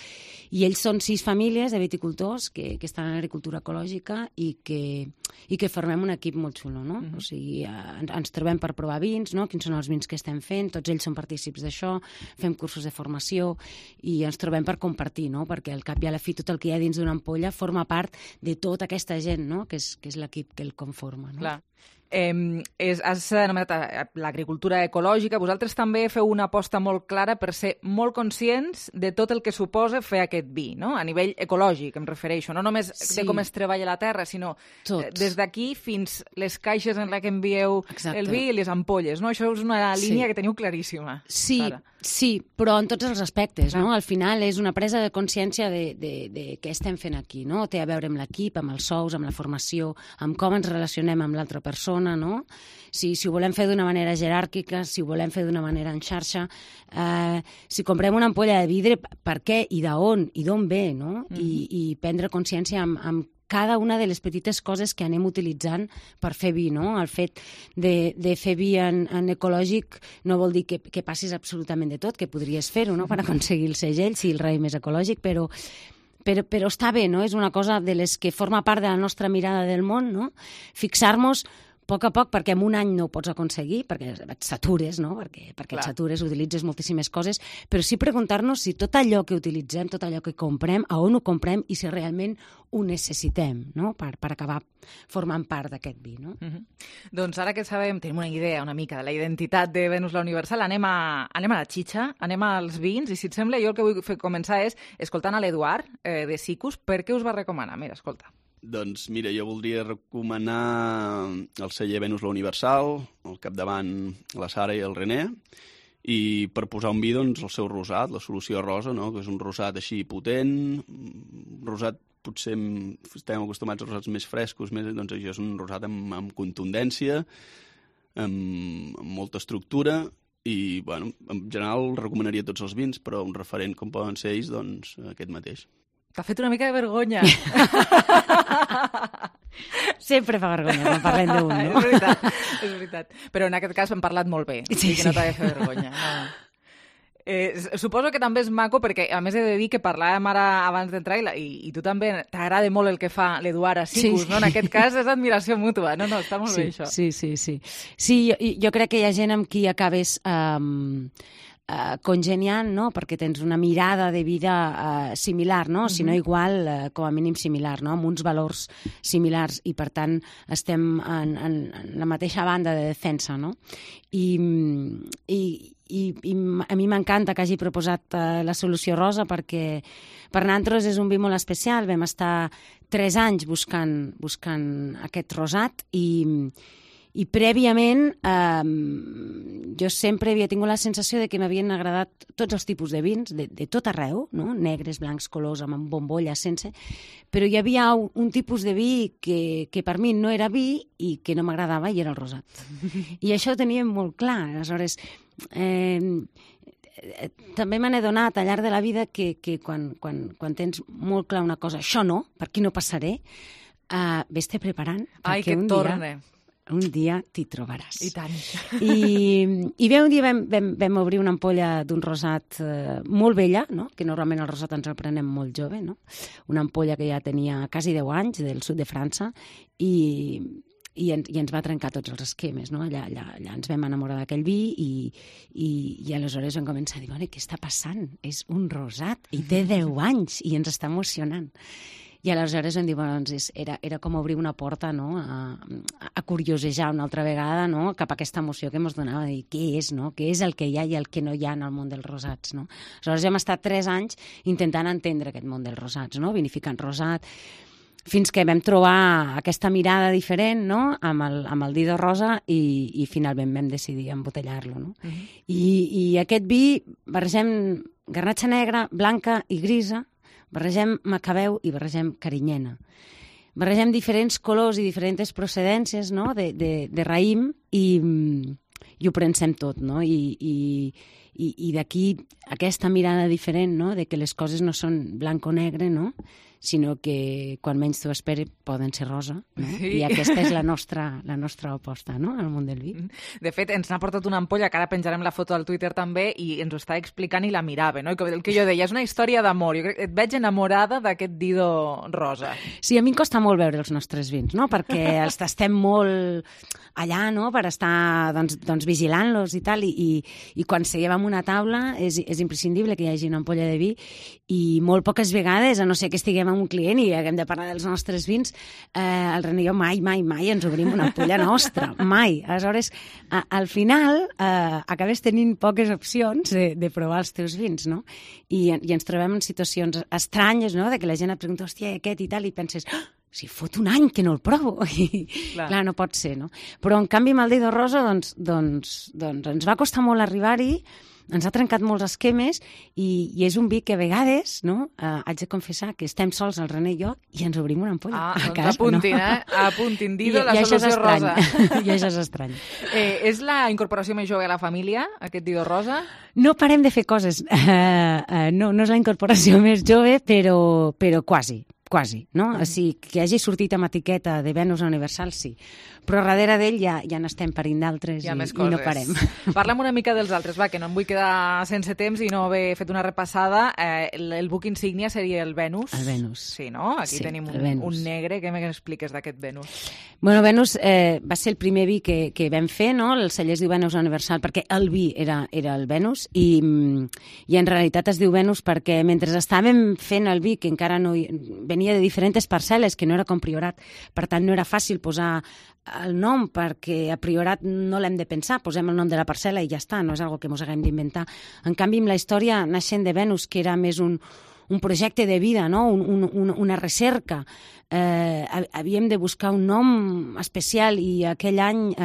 i ells són 6 famílies de viticultors que estan en agricultura ecològica i que formem un equip molt xulo, no? O sigui, ens trobem per provar vins, no? Quins són els vins que estem fent, tots ells són partícips d'això, fem cursos de formació i ens trobem per compartir, no? Perquè al cap i a la fi tot el que hi ha dins d'una ampolla forma part de tota aquesta gent, no? Que és l'equip que el conforma, no? Clar. Has anomenat l'agricultura ecològica. Vosaltres també feu una aposta molt clara per ser molt conscients de tot el que suposa fer aquest vi, no? A nivell ecològic, em refereixo. No només de com es treballa la terra, sinó des d'aquí fins les caixes en les que envieu el vi i les ampolles, no? Això és una línia que teniu claríssima. Sí, però en tots els aspectes, no? Al final és una presa de consciència de què estem fent aquí, no? Té a veure amb l'equip, amb els sous, amb la formació, amb com ens relacionem amb l'altra persona, no? Si ho volem fer d'una manera jeràrquica, si ho volem fer d'una manera en xarxa, si comprem una ampolla de vidre, per què i d'on ve, no? I prendre consciència amb cada una de les petites coses que anem utilitzant per fer vi, no? El fet de fer vi en ecològic no vol dir que passis absolutament de tot, que podries fer-ho, no?, per aconseguir el segell, si el raïm és ecològic, però està bé, no? És una cosa de les que forma part de la nostra mirada del món, no? Fixar-nos a poc, perquè en un any no ho pots aconseguir, perquè et satures, no? Perquè et satures, utilitzes moltíssimes coses, però sí preguntar-nos si tot allò que utilitzem, tot allò que comprem, a on ho comprem i si realment ho necessitem, no? Per acabar formant part d'aquest vi, no? Doncs ara que sabem, tenim una idea una mica de la identitat de Venus la Universal, anem a la xitxa, anem als vins, i si et sembla, jo el que vull començar és escoltant a l'Eduard de Sicus. Per què us va recomanar? Mira, escolta. Doncs mira, jo voldria recomanar el celler Venus la Universal, al capdavant la Sara i el René, i per posar un vi, doncs, el seu rosat, la solució rosa, no?, que és un rosat així potent, rosat potser estem acostumats a rosats més frescos, doncs això és un rosat amb contundència, amb molta estructura, i, bueno, en general recomanaria tots els vins, però un referent com poden ser ells, doncs aquest mateix. T'ha fet una mica de vergonya. Sempre fa vergonya quan parlem d'un, no? És veritat. Però en aquest cas hem parlat molt bé, sí, que no t'ha de fer vergonya. No. Suposo que també és maco, perquè a més he de dir que parlàvem ara abans d'entrar i tu també t'agrada molt el que fa l'Eduard a Sicus, no? En aquest cas és admiració mútua. No, està molt bé això. Sí, jo crec que hi ha gent amb qui acabes congeniant, no? Perquè tens una mirada de vida similar, no? Si no igual, com a mínim similar, no? Amb uns valors similars, i per tant estem en la mateixa banda de defensa, no? I a mi m'encanta que hagi proposat la solució rosa, perquè per nosaltres és un vi molt especial. Vam estar 3 anys buscant aquest rosat, i prèviament jo sempre havia tingut la sensació de que m'havien agradat tots els tipus de vins, de tot arreu, no? Negres, blancs, colors, amb bombolles, sense, però hi havia un tipus de vi que per mi no era vi i que no m'agradava, i era el rosat. I això ho teníem molt clar. Aleshores, també me n'he donat al llarg de la vida que quan tens molt clar una cosa, això no, per aquí no passaré, ves-te preparant. Ai, que torne. Un dia t'hi trobaràs. I tant. I bé, un dia vam obrir una ampolla d'un rosat molt vella, no? Que normalment el rosat ens el prenem molt jove, no? Una ampolla que ja tenia quasi 10 anys, del sud de França, i ens va trencar tots els esquemes, no? Allà ens vam enamorar d'aquell vi, i aleshores vam començar a dir, què està passant? És un rosat i té 10 anys i ens està emocionant. I aleshores vam dir, doncs, era com obrir una porta, no?, a curiosejar una altra vegada, no?, cap a aquesta emoció que ens donava, de dir què és, no?, què és el que hi ha i el que no hi ha en el món dels rosats, no? Aleshores hem estat 3 anys intentant entendre aquest món dels rosats, no?, vinificant rosat, fins que vam trobar aquesta mirada diferent, no?, amb el Dido Rosa i finalment vam decidir embotellar-lo, no? I aquest vi barregem garnatxa negra, blanca i grisa, barregem macabeu i barregem carinyena. Barregem diferents colors i diferents procedències, no?, de raïm i ho prensem tot, no? I d'aquí aquesta mirada diferent, no?, de que les coses no són blanc o negre, no?, sinó que quan menys t'ho esperes poden ser rosa, no? Sí. I aquesta és la nostra aposta, no?, al món del vi. De fet, ens n'ha portat una ampolla, que ara penjarem la foto al Twitter també, i ens ho està explicant i la mirava, no? I el que jo deia, és una història d'amor. Jo crec que et veig enamorada d'aquest Dido rosa. Sí, a mi em costa molt veure els nostres vins, no?, perquè els tastem molt allà, no?, per estar doncs vigilant-los i tal, i quan seguem en una taula és imprescindible que hi hagi una ampolla de vi, i molt poques vegades, a no ser que estiguem amb un client i haguem de parlar dels nostres vins, el René i jo mai ens obrim una ampolla nostra, mai. Aleshores, al final, acabes tenint poques opcions de provar els teus vins, no? I ens trobem en situacions estranyes, no?, de que la gent et pregunta, hòstia, aquest i tal, i penses, si fot un any que no el provo. I, clar, no pot ser, no? Però, en canvi, amb el Dido Rosa, doncs ens va costar molt arribar-hi, ens ha trencat molts esquemes i és un vi que a vegades, no?, haig de confessar que estem sols, el René i jo, i ens obrim una ampolla a casa. Apuntin, no? Apuntin, Dido, la solució rosa. I això és estrany. És la incorporació més jove a la família, aquest Dido rosa? No parem de fer coses. No és la incorporació més jove, però quasi, no? O sigui, que hagi sortit amb etiqueta de Venus Universal, sí. Però darrere d'ell ja n'estem parint d'altres i no parem. Parla'm una mica dels altres, va, que no em vull quedar sense temps i no haver fet una repassada. El buc insígnia seria el Venus. El Venus. Sí, no? Aquí tenim un negre. Què m'expliques d'aquest Venus? Bueno, Venus va ser el primer vi que vam fer, no? El celler es diu Venus Universal perquè el vi era el Venus i en realitat es diu Venus perquè mentre estàvem fent el vi, que encara no venia de diferents parcel·les, que no era com Priorat, per tant no era fàcil posar el nom perquè a Priorat no l'hem de pensar, posem el nom de la parcel·la i ja està, no és algo que mos haguem d'inventar. En canvi, amb la història naixent de Venus, que era més un projecte de vida, no? Una recerca, havíem de buscar un nom especial i aquell any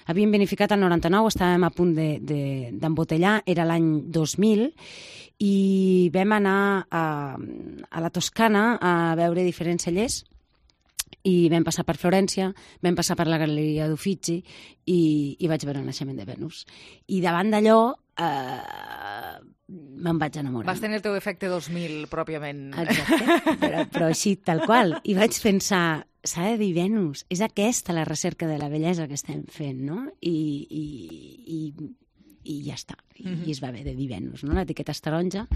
havíem vinificat el 99, estàvem a punt d'embotellar, era l'any 2000, i vam anar a la Toscana a veure diferents cellers, i vam passar per Florència, vam passar per la Galeria d'Uffizi i vaig veure el naixement de Venus. I davant d'allò me'n vaig enamorar. Vas tenir el teu efecte 2000, pròpiament. Exacte, però així, tal qual. I vaig pensar, s'ha de dir Venus, és aquesta la recerca de la bellesa que estem fent, no? I ja està, i es va haver de dir Venus, no? L'etiqueta és taronja,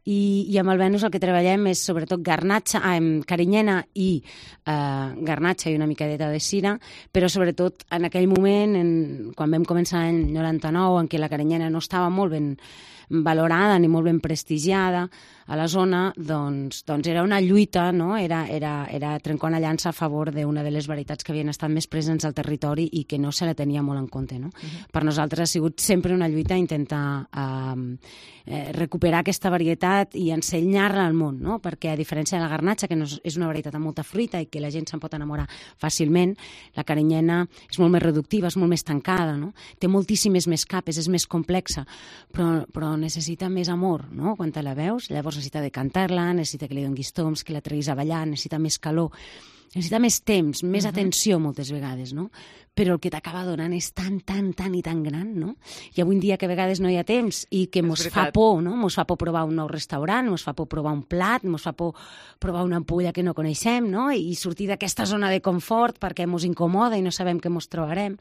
i amb el Venus el que treballem és sobretot garnatxa, carinyena i garnatxa i una micadeta de cira, però sobretot en aquell moment, quan vam començar l'any 99, en què la carinyena no estava molt ben valorada ni molt ben prestigiada a la zona, doncs era una lluita, no? Era trencar una llança a favor d'una de les varietats que havien estat més presents al territori i que no se la tenia molt en compte, no? Per nosaltres ha sigut sempre una lluita intentar recuperar aquesta varietat i ensenyar-la al món, no? Perquè a diferència de la garnatxa, que és una varietat amb molta fruita i que la gent se'n pot enamorar fàcilment, la carinyena és molt més reductiva, és molt més tancada, no? Té moltíssimes més capes, és més complexa, però necessita més amor, no? Quan te la veus, llavors necessita decantar-la, necessita que li donis toms, que la treguis a ballar, necessita més calor, necessita més temps, més atenció moltes vegades, no? Però el que t'acaba donant és tan i tan gran, no? I avui en dia que a vegades no hi ha temps i que mos fa por, no? Mos fa por provar un nou restaurant, mos fa por provar un plat, mos fa por provar una ampolla que no coneixem, no? I sortir d'aquesta zona de confort perquè mos incomoda i no sabem què mos trobarem.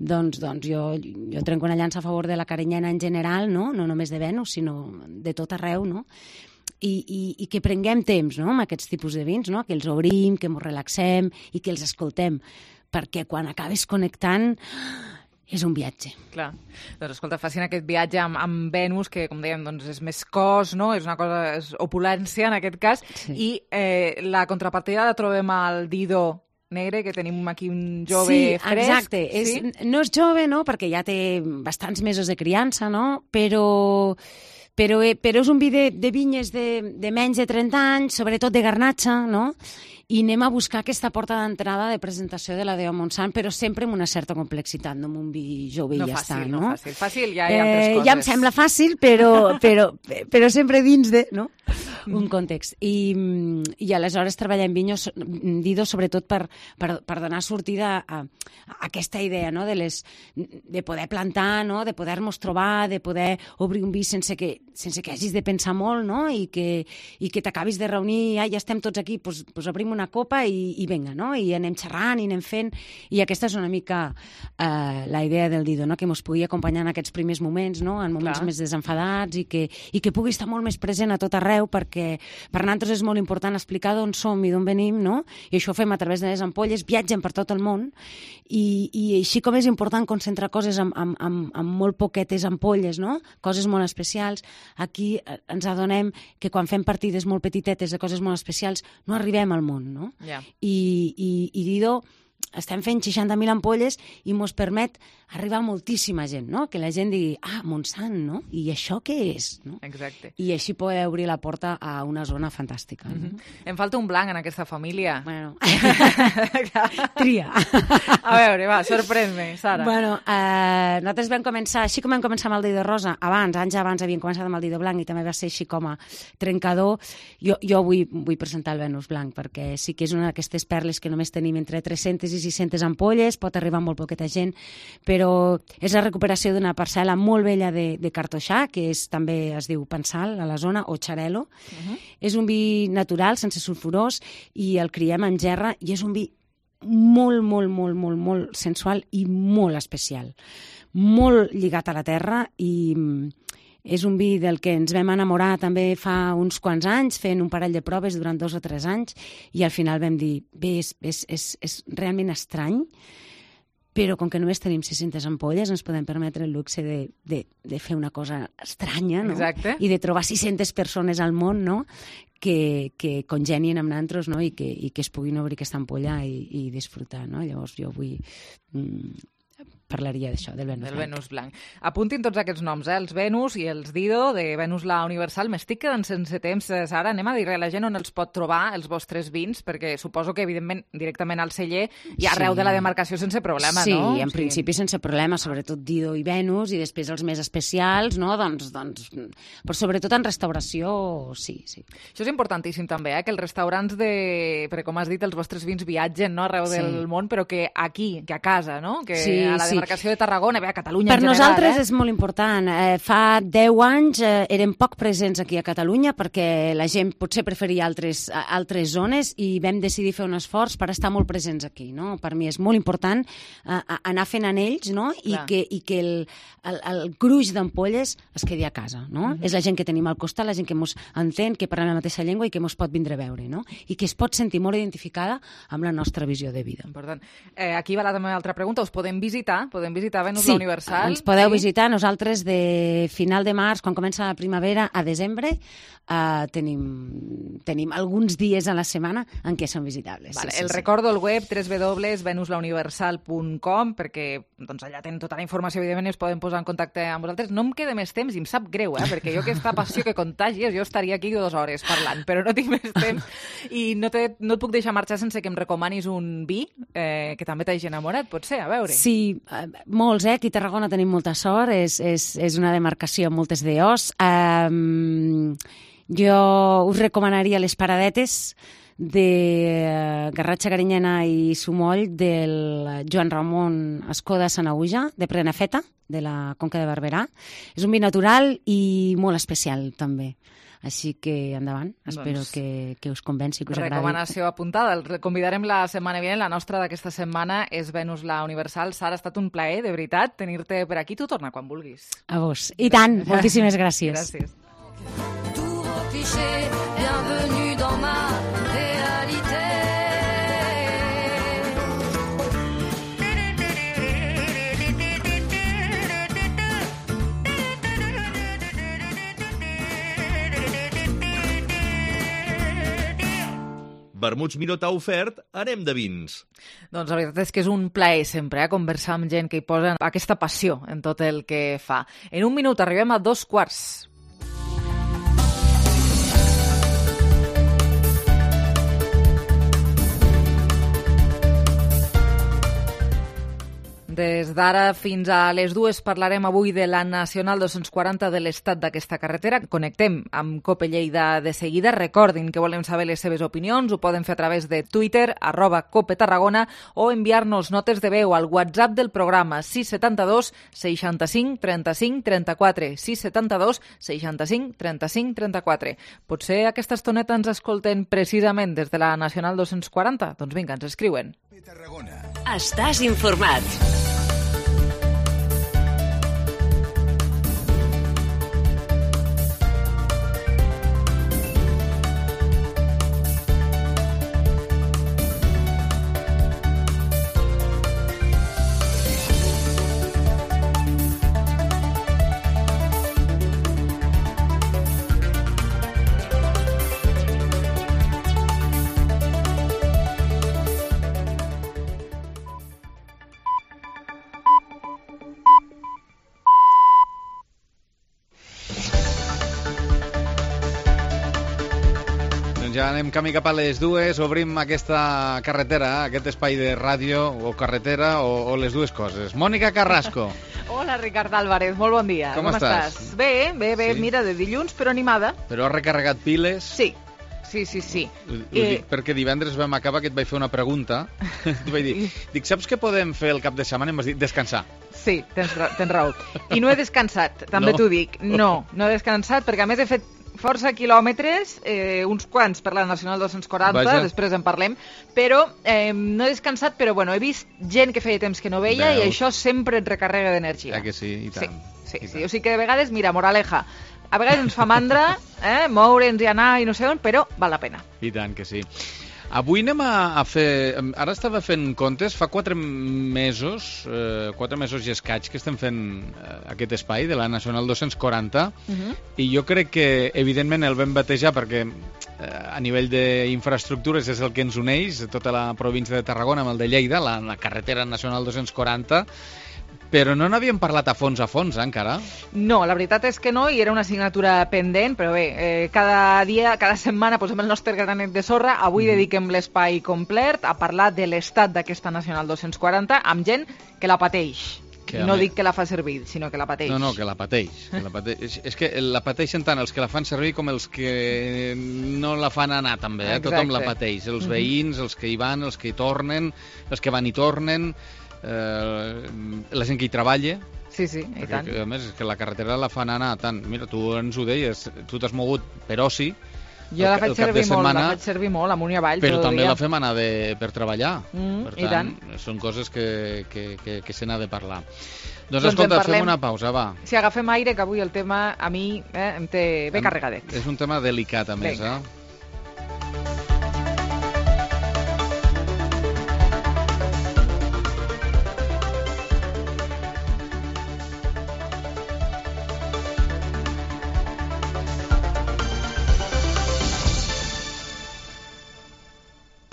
Doncs jo trenco una llança a favor de la carinyena en general, no només de Venus, sinó de tot arreu, no? I que prenguem temps, no?, amb aquests tipus de vins, no?, que els obrim, que ens relaxem i que els escoltem, perquè quan acabes connectant és un viatge. Clar. Doncs escolta, facin aquest viatge amb Venus, que com dèiem doncs és més cos, no? És una cosa, és opulència en aquest cas, i la contrapartida la trobem al Dido Negre, que tenim aquí un jove fresc. Exacte. No és jove, no?, perquè ja té bastants mesos de criança, no?, però és un vi de vinyes de menys de 30 anys, sobretot de Garnatxa, no?, i anem a buscar aquesta porta d'entrada de presentació de la Déu Montsant, però sempre amb una certa complexitat, no amb un vi jove i ja està, no? No fàcil, fàcil, ja hi ha altres coses. Ja em sembla fàcil, però sempre dins de, no?, un context. I aleshores treballem Dido sobretot per donar sortida a aquesta idea, no?, de poder plantar, no?, de poder-nos trobar, de poder obrir un vi sense que hagis de pensar molt, no?, i que t'acabis de reunir, ja estem tots aquí, doncs obrim una copa i vinga, no?, i anem xerrant i anem fent, i aquesta és una mica la idea del Dido, no?, que ens pugui acompanyar en aquests primers moments, no?, en moments més desenfadats, i que pugui estar molt més present a tot arreu, perquè per nosaltres és molt important explicar d'on som i d'on venim, no?, i això ho fem a través de les ampolles, viatgem per tot el món, i així com és important concentrar coses amb molt poquetes ampolles, no?, coses molt especials, aquí ens adonem que quan fem partides molt petitetes de coses molt especials no arribem al món, no? I Dido estem fent 60.000 ampolles i ens permet arribar a moltíssima gent, no? Que la gent digui, Montsant, no? I això què és? No? Exacte. I així poder obrir la porta a una zona fantàstica. No? Em falta un blanc en aquesta família. Bueno, tria. A veure, va, sorprèn-me, Sara. Bueno, nosaltres vam començar, així com vam començar amb el Dido Rosa, anys abans havíem començat amb el Dido Blanc i també va ser així com a trencador. Jo vull presentar el Venus Blanc perquè sí que és una d'aquestes perles que només tenim entre 300 i 600 ampolles, pot arribar a molt poqueta gent, però és la recuperació d'una parcel·la molt vella de Cartoixà, que també es diu Pensal, a la zona, o Xarel·lo. És un vi natural, sense sulfurós, i el criem en gerra, i és un vi molt, molt, molt, molt, molt sensual i molt especial. Molt lligat a la terra, i és un vi del que ens vam enamorar també fa uns quants anys, fent un parell de proves durant 2 o 3 anys, i al final vam dir, bé, és realment estrany, però com que només tenim 600 ampolles ens podem permetre el luxe de fer una cosa estranya, no? Exacte. I de trobar 600 persones al món, no?, que congenien amb nosaltres, no?, i que es puguin obrir aquesta ampolla i disfrutar, no? Llavors jo vull... parlaria d'això, del Venus Blanc. Del Venus Blanc. Apuntin tots aquests noms, els Venus i els Dido, de Venus la Universal. M'estic quedant sense temps, Sara. Anem a dir-li a la gent on els pot trobar, els vostres vins, perquè suposo que, evidentment, directament al celler i arreu de la demarcació sense problema, no? Sí, en principi sense problema, sobretot Dido i Venus, i després els més especials, no? Doncs però sobretot en restauració, sí. Això és importantíssim també, que els restaurants perquè com has dit, els vostres vins viatgen, no?, arreu del món, però que aquí, que a casa, no?, que a la demarcació de Tarragona, a Catalunya en general. Per nosaltres és molt important. Fa 10 anys érem poc presents aquí a Catalunya perquè la gent potser preferia altres zones i vam decidir fer un esforç per estar molt presents aquí, no? Per mi és molt important anar fent anells, no?, i que el gruix d'ampolles es quedi a casa, no? És la gent que tenim al costat, la gent que ens entén, que parla la mateixa llengua i que ens pot vindre a veure, no? I que es pot sentir molt identificada amb la nostra visió de vida. Important. Aquí va la meva altra pregunta. Us podem visitar Venus la Universal? Sí, ens podeu visitar. Nosaltres de final de març, quan comença la primavera, a desembre, tenim alguns dies a la setmana en què són visitables. Recordo el web www.venuslauniversal.com perquè allà tenen tota la informació, evidentment, i es poden posar en contacte amb vosaltres. No em queda més temps i em sap greu, perquè jo aquesta passió que contagies, jo estaria aquí 2 hores parlant, però no tinc més temps i no et puc deixar marxar sense que em recomanis un vi que també t'hagi enamorat, potser, a veure. Sí, molts, aquí a Tarragona tenim molta sort, és una demarcació amb moltes DOs. Jo us recomanaria les paradetes de Garratxa, Carinyena i Sumoll del Joan Ramon Escoda Sanaüja, de Prenafeta, de la Conca de Barberà. És un vi natural i molt especial, també. Així que endavant, espero que us convenci, que us agradi. Recomanació apuntada. El convidarem la setmana vinent. La nostra d'aquesta setmana és Venus la Universal. Sara, ha estat un plaer, de veritat, tenir-te per aquí. Tu torna quan vulguis. A vos. I tant. Moltíssimes gràcies. Gràcies. Bienvenue dans ma réalité. Vermuts Miró t'ha ofert Anem de vins. Doncs la veritat és que és un plaer sempre conversar amb gent que hi posa aquesta passió en tot el que fa. En un minut arribem a 2:15. Des d'ara fins a les 2 parlarem avui de la Nacional 240, de l'estat d'aquesta carretera. Connectem amb COPE Lleida de seguida. Recordin que volem saber les seves opinions. Ho poden fer a través de Twitter, @COPE Tarragona, o enviar-nos notes de veu al WhatsApp del programa 672 65 35 34. 672 65 35 34. Potser aquesta estoneta ens escolten precisament des de la Nacional 240? Doncs vinga, ens escriuen. Estàs informat. Ja anem camí cap a les 2, obrim aquesta carretera, aquest espai de ràdio o carretera o les dues coses. Mònica Carrasco. Hola, Ricard Álvarez, molt bon dia. Com estàs? Bé, Sí. mira, de dilluns, però animada. Però has recarregat piles? Sí. Ho dic perquè divendres vam acabar que et vaig fer una pregunta. Et vaig dir, saps què podem fer el cap de setmana? I em vas dir, descansar. Sí, tens raó. I no he descansat, també t'ho dic. No he descansat perquè a més he fet força quilòmetres, uns quants per la Nacional 240, Vaja. després en parlem, però no he descansat, però bueno, he vist gent que feia temps que no veia. Veus. I això sempre et recarrega d'energia. Que sí, i tant. Sí. O sigui que de vegades, mira, moraleja, a vegades ens fa mandra moure'ns i anar i no sé on, però val la pena. I tant que sí. Avui anem a fer... Ara estava fent comptes, fa 4 mesos i escaig que estem fent aquest espai de la Nacional 240 i jo crec que, evidentment, el vam batejar perquè a nivell d'infraestructures és el que ens uneix, tota la província de Tarragona amb el de Lleida, la carretera Nacional 240, però no n'havíem parlat a fons, encara? No, la veritat és que no, i era una assignatura pendent, però bé, cada dia, cada setmana posem el nostre granet de sorra. Avui dediquem l'espai complet a parlar de l'estat d'aquesta Nacional 240 amb gent que la pateix. No dic que la fa servir, sinó que la pateix. No, que la pateix. És que la pateixen tant els que la fan servir com els que no la fan anar, també. Tothom la pateix. Els veïns, els que hi van, els que hi tornen, els que van i tornen, la gent que hi treballa. Sí, i tant. A més, és que la carretera la fan anar tant. Mira, tu ens ho deies, tu t'has mogut per oci. Jo la faig servir molt, amunt i avall, però tot el també dia. la fem anar per treballar. I tant. Són coses que se n'ha de parlar. Doncs escolta, fem una pausa, va. Si agafem aire, que avui el tema a mi em té ben carregadet. És un tema delicat, a més,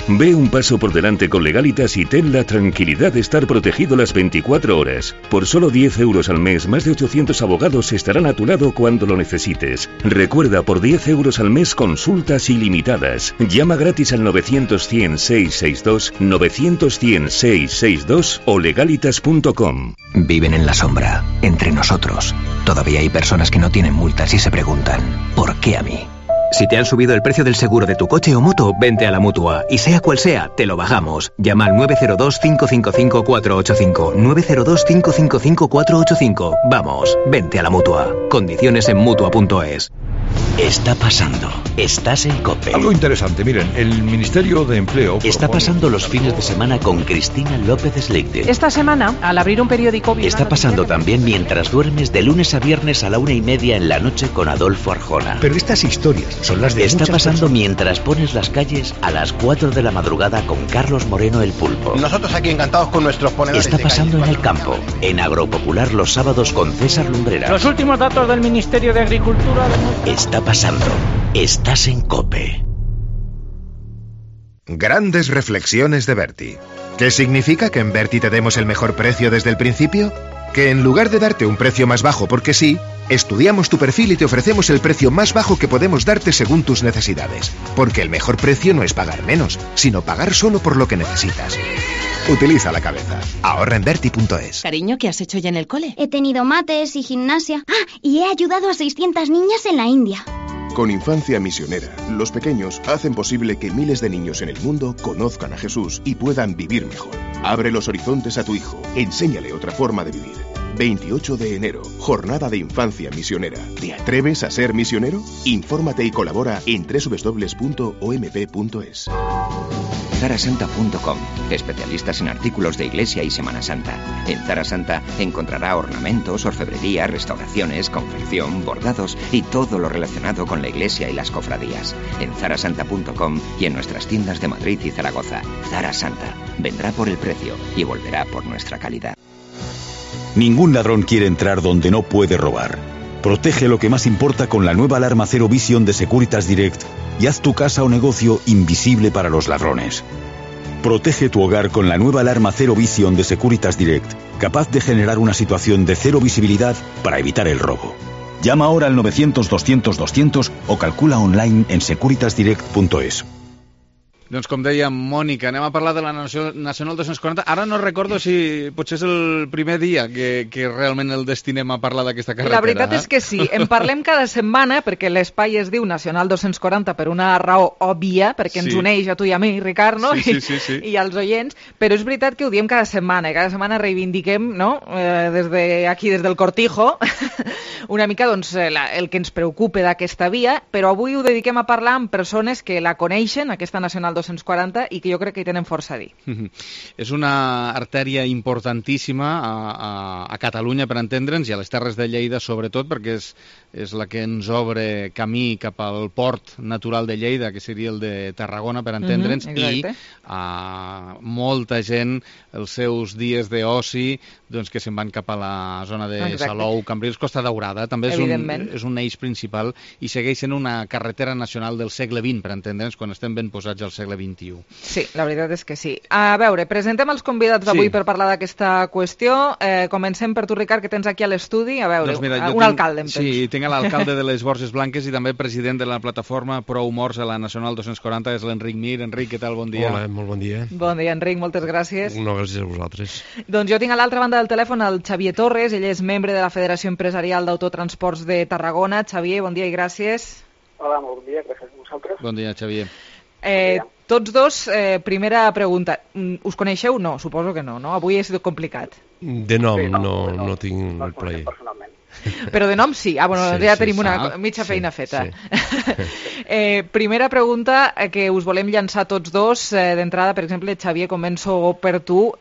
Ve un paso por delante con Legalitas y ten la tranquilidad de estar protegido las 24 horas. Por solo 10 euros al mes, más de 800 abogados estarán a tu lado cuando lo necesites. Recuerda, por 10 euros al mes, consultas ilimitadas. Llama gratis al 900-100-662, 900-100-662 o legalitas.com. Viven en la sombra, entre nosotros. Todavía hay personas que no tienen multas y se preguntan, ¿por qué a mí? Si te han subido el precio del seguro de tu coche o moto, vente a la Mutua. Y sea cual sea, te lo bajamos. Llama al 902-555-485. 902-555-485. Vamos, vente a la Mutua. Condiciones en Mutua.es. Está pasando. Estás en COPE. Algo interesante, miren, el Ministerio de Empleo... Está pasando los fines de semana con Cristina López Sleite. Esta semana, al abrir un periódico... Está pasando también mientras duermes de lunes a viernes a la 1:30 en la noche con Adolfo Arjona. Pero estas historias son las de Está muchas pasando personas. mientras pones las calles a las 4 de la madrugada con Carlos Moreno el Pulpo. Nosotros aquí encantados con nuestros ponedores. Está pasando en el campo, en Agropopular los sábados con César Lumbrera. Los últimos datos del Ministerio de Agricultura... Está pasando. Estás en COPE. Grandes reflexiones de Berti. ¿Qué significa que en Berti te demos el mejor precio desde el principio? Que en lugar de darte un precio más bajo porque sí, estudiamos tu perfil y te ofrecemos el precio más bajo que podemos darte según tus necesidades. Porque el mejor precio no es pagar menos, sino pagar solo por lo que necesitas. Utiliza la cabeza. Ahorra en Berti.es. Cariño, ¿qué has hecho ya en el cole? He tenido mates y gimnasia. Y he ayudado a 600 niñas en la India. Con Infancia Misionera, los pequeños hacen posible que miles de niños en el mundo conozcan a Jesús y puedan vivir mejor. Abre los horizontes a tu hijo, enséñale otra forma de vivir. 28 de enero, Jornada de Infancia Misionera. ¿Te atreves a ser misionero? Infórmate y colabora en www.omp.es. Zarasanta.com, especialistas en artículos de Iglesia y Semana Santa. En Zara Santa encontrará ornamentos, orfebrería, restauraciones, confección, bordados y todo lo relacionado con la Iglesia y las cofradías. En Zarasanta.com y en nuestras tiendas de Madrid y Zaragoza. Zara Santa vendrá por el precio y volverá por nuestra calidad. Ningún ladrón quiere entrar donde no puede robar. Protege lo que más importa con la nueva alarma Zero Vision de Securitas Direct y haz tu casa o negocio invisible para los ladrones. Protege tu hogar con la nueva alarma Zero Vision de Securitas Direct, capaz de generar una situación de cero visibilidad para evitar el robo. Llama ahora al 900-200-200 o calcula online en securitasdirect.es. Doncs com deia Mònica, anem a parlar de la Nacional 240. Ara no recordo si potser és el primer dia que realment el destinem a parlar d'aquesta carretera. La veritat és que sí, en parlem cada setmana perquè l'espai es diu Nacional 240 per una raó òbvia, perquè ens uneix a tu i a mi, Ricard, no? Sí. I als oients, però és veritat que ho diem cada setmana, i cada setmana reivindiquem, no? Des del Cortijo, una mica doncs, el que ens preocupa d'aquesta via, però avui ho dediquem a parlar amb persones que la coneixen, aquesta Nacional 240, i que jo crec que hi tenen força a dir. És una artèria importantíssima a Catalunya, per entendre'ns, i a les Terres de Lleida, sobretot, perquè és la que ens obre camí cap al port natural de Lleida, que seria el de Tarragona, per entendre'ns, i molta gent, els seus dies d'oci, doncs, que se'n van cap a la zona de Salou, Cambrils, Costa Daurada, també és un eix principal, i segueix sent una carretera nacional del segle XX, per entendre'ns, quan estem ben posats al segle XXI. Sí, la veritat és que sí. A veure, presentem els convidats d'avui per parlar d'aquesta qüestió. Comencem per tu, Ricard, que tens aquí a l'estudi. A veure, un alcalde, em tens. Sí, tinc l'alcalde de les Borges Blanques i també president de la plataforma Prou Morts a la Nacional 240, és l'Enric Mir. Enric, què tal? Bon dia. Hola, molt bon dia. Bon dia, Enric, moltes gràcies. No, gràcies a vosaltres. Doncs jo tinc a l'altra banda del telèfon el Xavier Torres, ell és membre de la Federació Empresarial d'Autotransports de Tarragona. Xavier, bon dia i gràcies. Hola, molt bon dia, gràcies a vosaltres. Bon dia, Xavier. Tots dos, primera pregunta. Us coneixeu? No, suposo que no, no? Avui ha sigut complicat. De nom no tinc el plaer. Però de nom sí. Bueno, ja tenim una mitja feina feta. Primera pregunta que us volem llançar tots dos. D'entrada, per exemple, Xavier, començo per tu.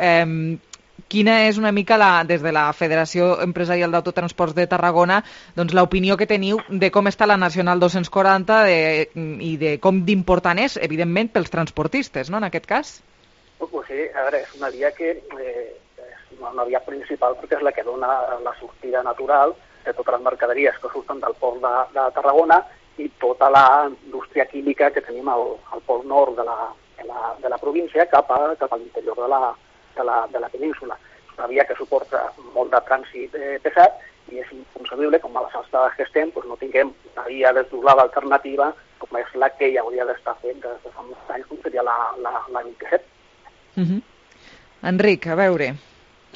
Quina és una mica, des de la Federació Empresarial d'Autotransports de Tarragona, doncs l'opinió que teniu de com està la Nacional 240 i de com d'important és, evidentment, pels transportistes, no?, en aquest cas? Pues sí, a veure, és una via que és una via principal perquè és la que dona la sortida natural de totes les mercaderies que surten del port de Tarragona i tota la indústria química que tenim al port nord de la província cap a l'interior de la península. És una via que suporta molt de trànsit pesat i és inconcebible, com a les alçades que estem, doncs no tinguem una via desdoblada alternativa com és la que ja hauria d'estar fent des de fa molts anys, com seria la 27. Enric, a veure,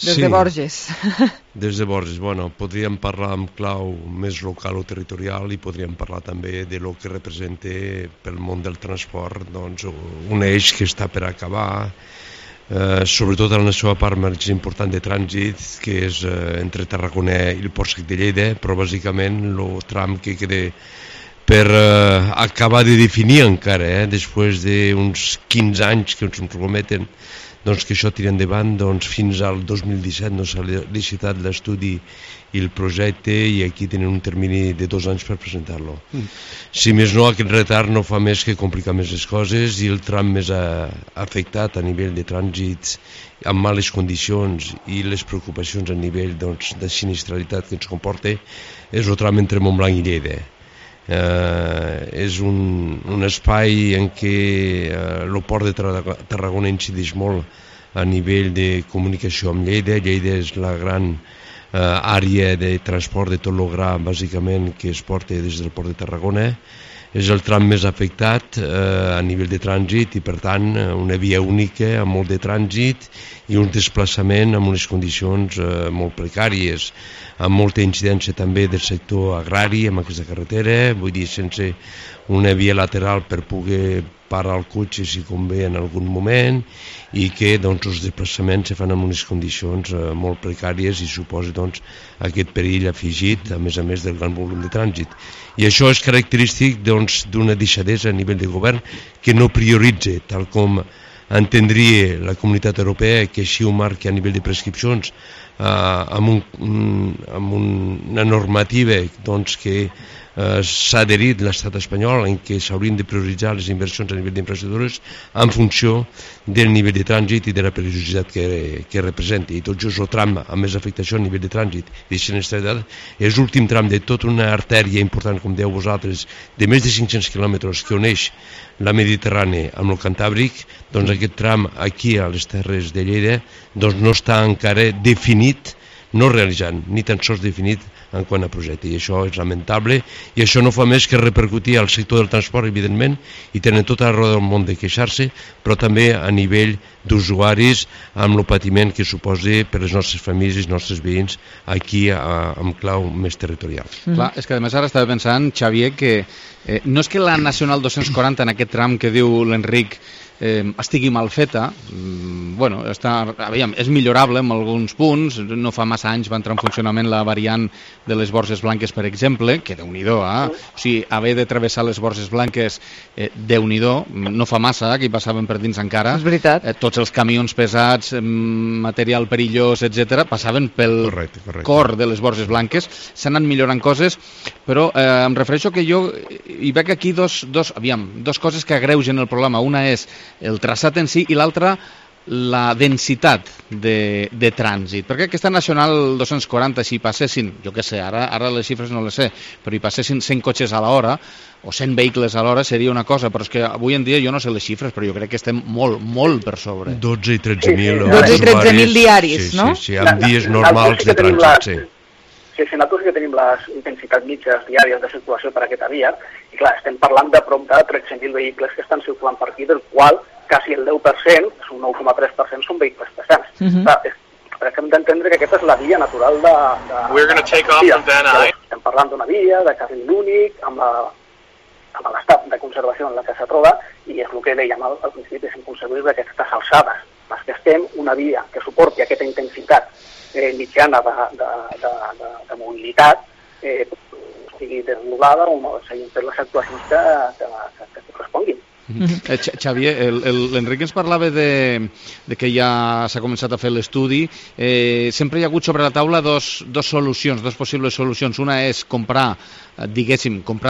des de Borges. Des de Borges, bueno, podríem parlar en clau més local o territorial i podríem parlar també de lo que representa pel món del transport, doncs un eix que està per acabar, sobretot en la seva part més important de trànsit, que és entre Tarragona i el Port Sec de Lleida, però bàsicament el tram que queda per acabar de definir encara, després d'uns 15 anys que ens prometen doncs, que això tira endavant, doncs, fins al 2017 no s'ha licitat l'estudi i el projecte i aquí tenen un termini de 2 anys per presentar-lo. Si més no, aquest retard no fa més que complicar més les coses i el tram més afectat a nivell de trànsits amb males condicions i les preocupacions a nivell doncs, de sinistralitat que ens comporta és el tram entre Montblanc i Lleida. és un espai en què el port de Tarragona incideix molt a nivell de comunicació amb Lleida. Lleida és la gran àrea de transport de tot el gra, bàsicament, que es porta des del port de Tarragona. És el tram més afectat a nivell de trànsit i, per tant, una via única amb molt de trànsit i un desplaçament amb unes condicions molt precàries, amb molta incidència també del sector agrari amb aquesta carretera, vull dir, sense una via lateral per poder parar el cotxe si convé en algun moment, i que doncs, els desplaçaments se fan en unes condicions molt precàries i suposa doncs, aquest perill afegit, a més del gran volum de trànsit. I això és característic doncs, d'una deixadesa a nivell de govern que no prioritza, tal com entendria la Comunitat Europea, que així ho marca a nivell de prescripcions, amb una normativa doncs, que s'ha adherit l'estat espanyol en què s'haurien de prioritzar les inversions a nivell d'infraestructures en funció del nivell de trànsit i de la perillositat que representa. I tot just el tram amb més afectació a nivell de trànsit i de sinistralitat és l'últim tram de tota una artèria important, com dèieu vosaltres, de més de 500 quilòmetres que uneix la Mediterrània amb el Cantàbric. Doncs aquest tram aquí a les Terres de Lleida doncs no està encara definit, no realitzant, ni tan sols definit en quant a projecte, i això és lamentable, i això no fa més que repercutir al sector del transport, evidentment, i tenen tota la raó del món de queixar-se, però també a nivell d'usuaris, amb el patiment que suposa per les nostres famílies i els nostres veïns aquí amb clau més territorial. Clar, és que a més ara estava pensant, Xavier, que no és que la Nacional 240 en aquest tram que diu l'Enric estigui mal feta, bueno, és millorable en alguns punts. No fa massa anys va entrar en funcionament la variant de les Borges Blanques, per exemple, que déu-n'hi-do, o sigui, haver de travessar les Borges Blanques, déu-n'hi-do, no fa massa, que hi passaven per dins encara. És veritat. Tots els camions pesats, material perillós, etc., passaven pel cor de les Borges Blanques. S'han anat millorant coses, però em refereixo que jo hi veig aquí dos coses que agreugen el problema. Una és el traçat en si i l'altra la densitat de trànsit, perquè aquesta Nacional 240, si passessin, jo què sé, ara les xifres no les sé, però hi passessin 100 cotxes a l'hora o 100 vehicles a l'hora seria una cosa, però és que avui en dia jo no sé les xifres, però jo crec que estem molt, molt per sobre. 12 i 13.000 12 i 13.000 diaris, no? Sí, amb dies normals de trànsit, sí. Sí, nosaltres que tenim les intensitats mitges diàries de circulació per aquesta via, i clar, estem parlant de prop de 13.000 vehicles que estan circulant per aquí, del qual quasi el 10%, és un 9,3%, són vehicles pesants. Crec que hem d'entendre que aquesta és la via natural de estem parlant d'una via de carril únic, amb l'estat de conservació en la que se troba, i és el que dèiem al principi, és inconcebible d'aquestes alçades. Les que estem, una via que suporti aquesta intensitat mitjana de mobilitat estigui desdoblada o no s'hagin fet les actuacions que corresponguin. Xavier, l'Enric ens parlava de que ja s'ha començat a fer l'estudi. Sempre hi ha hagut sobre la taula dos solucions, dos possibles solucions. Una és comprar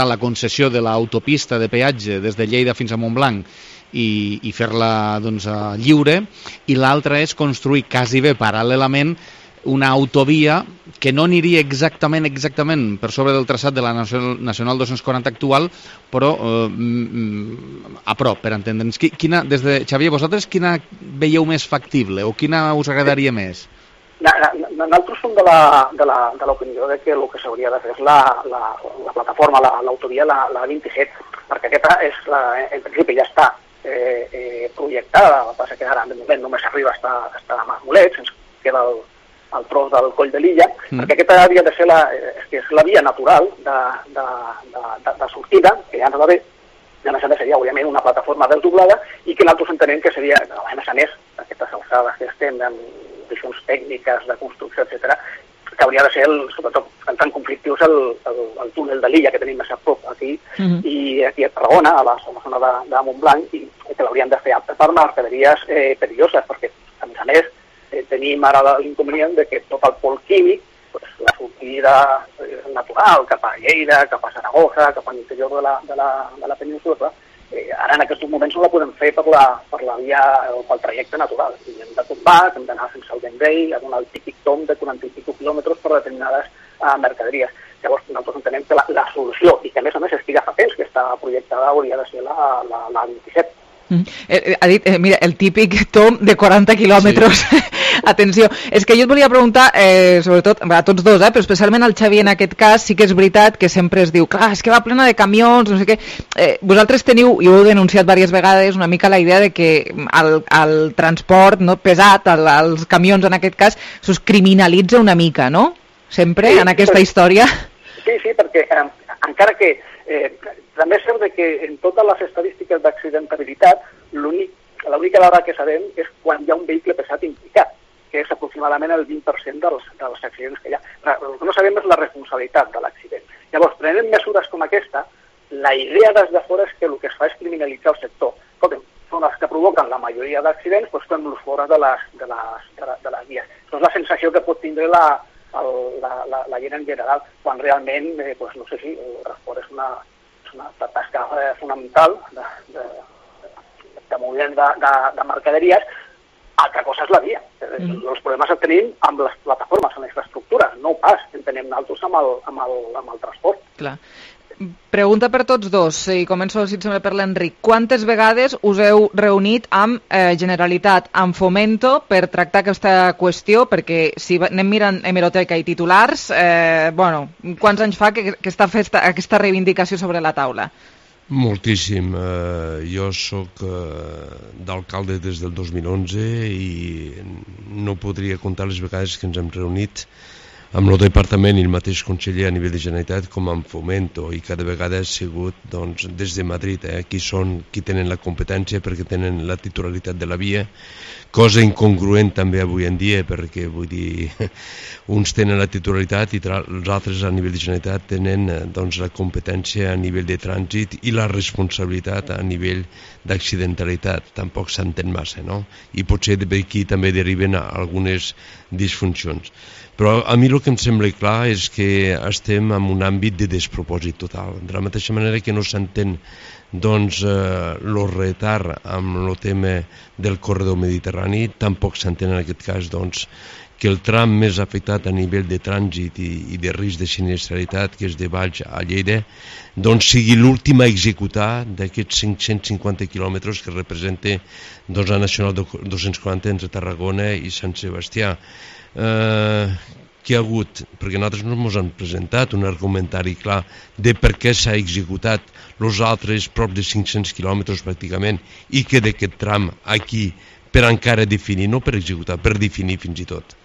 la concessió de l'autopista de peatge des de Lleida fins a Montblanc i fer-la lliure, i l'altra és construir quasi bé paral·lelament una autovia que no aniria exactament per sobre del traçat de la Nacional 240 actual, però a prop, per entendre'ns. Xavier, vosaltres quina veieu més factible o quina us agradaria més? Nosaltres som de l'opinió que el que s'hauria de fer és la plataforma, l'autovia, la 27, perquè aquesta en principi ja està projectada, el que passa que ara de moment només arriba a estar a Marmolet, ens queda el tros del Coll de l'Illa, perquè aquesta havia de ser la via natural de sortida, que ja no va bé, i a més a més seria, òbviament, una plataforma desdoblada, i que nosaltres entenem que seria, a més a més, aquestes alçades que estem en condicions tècniques de construcció, etc., que hauria de ser, sobretot, en tant conflictius, el túnel de l'Illa que tenim més a prop aquí, i aquí a Tarragona, a la zona de Montblanc, i que l'haurien de fer apte per mercaderies perilloses, perquè, a més, tenim ara l'inconvenient de que tot el pol químic, la sortida natural cap a Lleida, cap a Saragossa, cap a l'interior de la península, ara en aquests moments no la podem fer per la via o pel trajecte natural. I hem de tombar, hem d'anar fins al Vendrell, a donar el típic tom de 40 i pico quilòmetres per determinades mercaderies. Llavors, nosaltres entenem que la solució, i que a més estiga fa temps, que està projectada, hauria de ser la 27. Ha dit, mira, el típic tom de 40 quilòmetres. Sí. Atenció, és que jo et volia preguntar, sobretot a tots dos, però especialment al Xavi en aquest cas, sí que és veritat que sempre es diu, clar, és que va plena de camions, no sé què. Vosaltres teniu, i ho heu denunciat diverses vegades, una mica la idea de que el transport pesat, els camions en aquest cas, s'us criminalitza una mica, no? Sempre, en aquesta història. Sí, perquè encara que també és cert que en totes les estadístiques d'accidentabilitat l'única dada que sabem és quan hi ha un vehicle pesat implicat, que és aproximadament el 20% dels accidents que hi ha. El que no sabem és la responsabilitat de l'accident. Llavors, prenent mesures com aquesta, la idea des de fora és que el que es fa és criminalitzar el sector. Escolta'm, són els que provoquen la majoria d'accidents, doncs fem-los fora de les vies. Això és la sensació que pot tindre la gent en general, quan realment, no sé si el transport és una tasca fonamental de moviment de mercaderies. Altra cosa és la via. Els problemes els tenim amb les plataformes, amb les infraestructures, no pas en tenim nosaltres amb el transport. Clar. Pregunta per tots dos, i començo, si et sembla, per l'Enric. Quantes vegades us heu reunit amb Generalitat, amb Fomento, per tractar aquesta qüestió? Perquè si anem mirant hemeroteca i titulars, quants anys fa que està aquesta reivindicació sobre la taula? Moltíssim. Jo sóc d'alcalde des del 2011 i no podria comptar les vegades que ens hem reunit amb el departament i el mateix conseller a nivell de Generalitat com amb Fomento, i cada vegada ha sigut des de Madrid, qui tenen la competència perquè tenen la titularitat de la via, cosa incongruent també avui en dia, perquè vull dir, uns tenen la titularitat i els altres a nivell de Generalitat tenen la competència a nivell de trànsit i la responsabilitat a nivell d'accidentalitat. Tampoc s'entén massa, no? I potser d'aquí també deriven algunes disfuncions. Però a mi el que em sembla clar és que estem en un àmbit de despropòsit total. De la mateixa manera que no s'entén el retard amb el tema del corredor mediterrani, tampoc s'entén en aquest cas que el tram més afectat a nivell de trànsit i de risc de sinistralitat, que és de Valls a Lleida, sigui l'últim a executar d'aquests 550 quilòmetres que representa la Nacional 240 entre Tarragona i Sant Sebastià. Què ha hagut? Perquè nosaltres no ens han presentat un argumentari clar de per què s'ha executat els altres prop de 500 quilòmetres pràcticament i que d'aquest tram aquí per encara definir, no per executar, per definir fins i tot.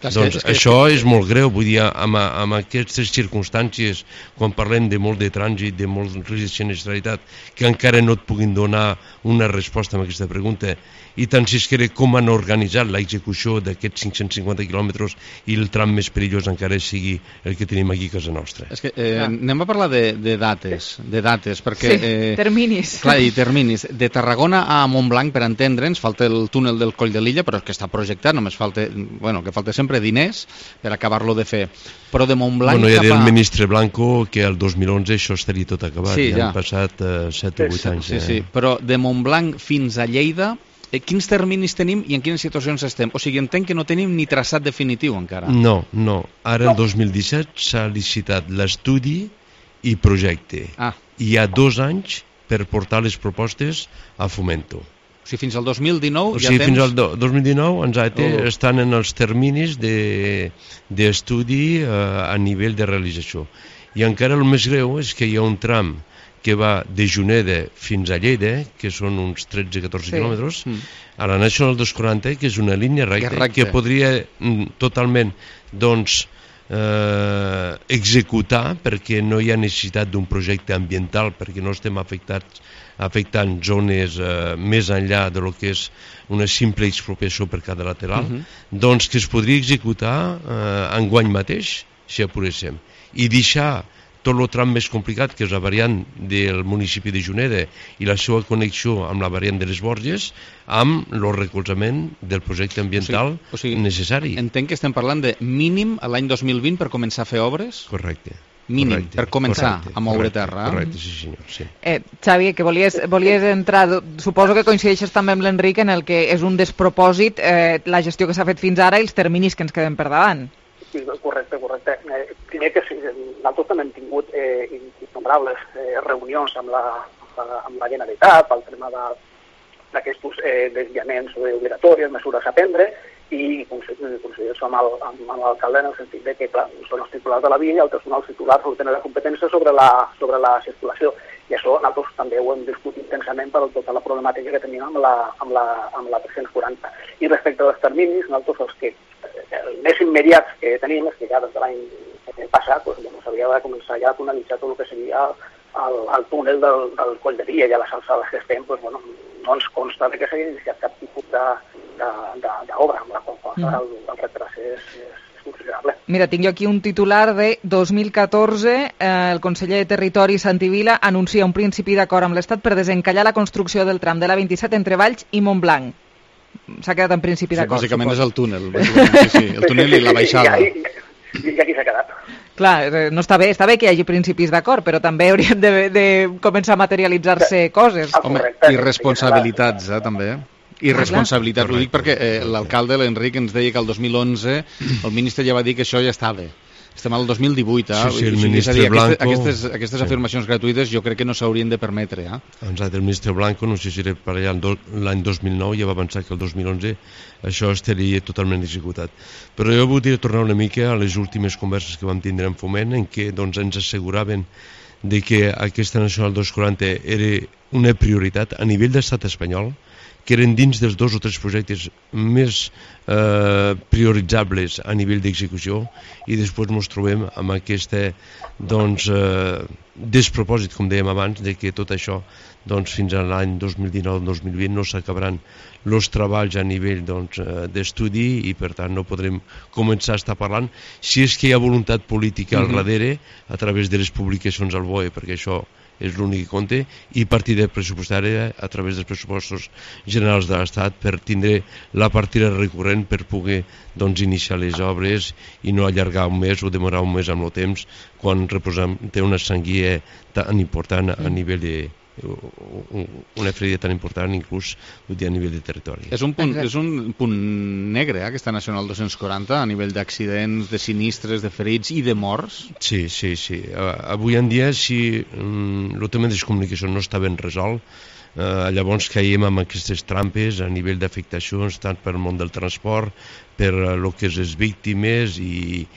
Això és molt greu, vull dir, amb aquestes circumstàncies, quan parlem de molt de trànsit, de molt risc de sinistralitat, que encara no et puguin donar una resposta a aquesta pregunta, i tant si es que com han organitzat l'execució d'aquests 550 quilòmetres i el tram més perillós encara sigui el que tenim aquí a casa nostra. És que anem a parlar de dates, perquè... Sí, terminis. Clar, i terminis. De Tarragona a Montblanc, per entendre'ns, falta el túnel del Coll de Lilla, però que està projectat, només falta, que falta sempre diners per acabar-lo de fer. Però de Montblanc cap a... Ja del ministre Blanco que el 2011 això estaria tot acabat, ja han passat 7 o 8 anys. Sí, però de Montblanc fins a Lleida, quins terminis tenim i en quines situacions estem? O sigui, entenc que no tenim ni traçat definitiu encara. No. Ara el 2017 s'ha licitat l'estudi i projecte. I hi ha 2 anys per portar les propostes a Fomento. O sigui, fins al 2019 ja tens... Fins al 2019 estan en els terminis d'estudi a nivell de realització. I encara el més greu és que hi ha un tram que va de Juneda fins a Lleida, que són uns 13-14 quilòmetres, a la Nacional 240, que és una línia recta que podria totalment executar, perquè no hi ha necessitat d'un projecte ambiental, perquè no estem afectant zones més enllà de lo que és una simple expropiació per cada lateral, que es podria executar enguany mateix, si apuréssim, i deixar tot el tram més complicat, que és la variant del municipi de Juneda i la seva connexió amb la variant de les Borges, amb el recolzament del projecte ambiental necessari. Entenc que estem parlant de mínim a l'any 2020 per començar a fer obres? Correcte. Mínim, per començar a moure terra. Correcte, sí senyor. Sí. Xavi, que volies entrar, suposo que coincideixes també amb l'Enric en el que és un despropòsit la gestió que s'ha fet fins ara i els terminis que ens queden per davant. Sí, correcte. Primer que nosaltres també hem tingut innombrables reunions amb la Generalitat pel tema d'aquests desviaments obligatoris, mesures a prendre, i coincidir amb l'alcalde en el sentit de que, clar, són els titulars de la via i altres són els titulars que tenen la competència sobre la circulació. I això nosaltres també ho hem discutit intensament per tota la problemàtica que tenim amb la 340. I respecte als terminis, nosaltres el més immediat que tenim és que ja des de l'any passat s'havia de començar ja a tonalitzar tot el que seria el túnel del Coll de Via i a les alçades que estem, no ens consta que s'hagi iniciat cap tipus d'obra, amb la qual cosa el retras és considerable. Mira, tinc jo aquí un titular de 2014. El conseller de Territori, Santi Vila, anuncia un principi d'acord amb l'Estat per desencallar la construcció del tram de la 27 entre Valls i Montblanc. S'ha quedat en principi d'acord. Sí, bàsicament és el túnel. Sí, el túnel i la baixada. I aquí s'ha quedat. Clar, no està bé que hi hagi principis d'acord, però també haurien de començar a materialitzar-se coses. Home, i responsabilitats, també. I responsabilitat, ho dic perquè l'alcalde, l'Enric, ens deia que el 2011 el ministre ja va dir que això ja estava. Estem al 2018, Sí, el ministre Blanco... Aquestes afirmacions gratuïtes jo crec que no s'haurien de permetre. Exacte, el ministre Blanco, no sé si era per allà l'any 2009, ja va pensar que el 2011 això estaria totalment executat. Però jo voldria tornar una mica a les últimes converses que vam tindre en Foment, en què ens asseguraven de que aquesta Nacional 240 era una prioritat a nivell d'estat espanyol, que eren dins dels 2 o 3 projectes més prioritzables a nivell d'execució, i després ens trobem amb aquest despropòsit, com dèiem abans, de que tot això fins a l'any 2019-2020 no s'acabaran els treballs a nivell d'estudi, i per tant no podrem començar a estar parlant, si és que hi ha voluntat política al darrere a través de les publicacions al BOE, perquè això és l'únic que compta, i partida pressupostària a través dels pressupostos generals de l'Estat per tindre la partida recurrent per poder iniciar les obres i no allargar un mes o demorar un mes amb el temps quan té una sanguia tan important a nivell de una ferida tan important inclús a nivell de territori. És un punt negre, aquesta Nacional 240, a nivell d'accidents, de sinistres, de ferits i de morts? Sí. Avui en dia, si el tema de les comunicacions no està ben resolt, llavors caiem amb aquestes trampes a nivell d'afectacions tant per al món del transport, per el que és les víctimes, i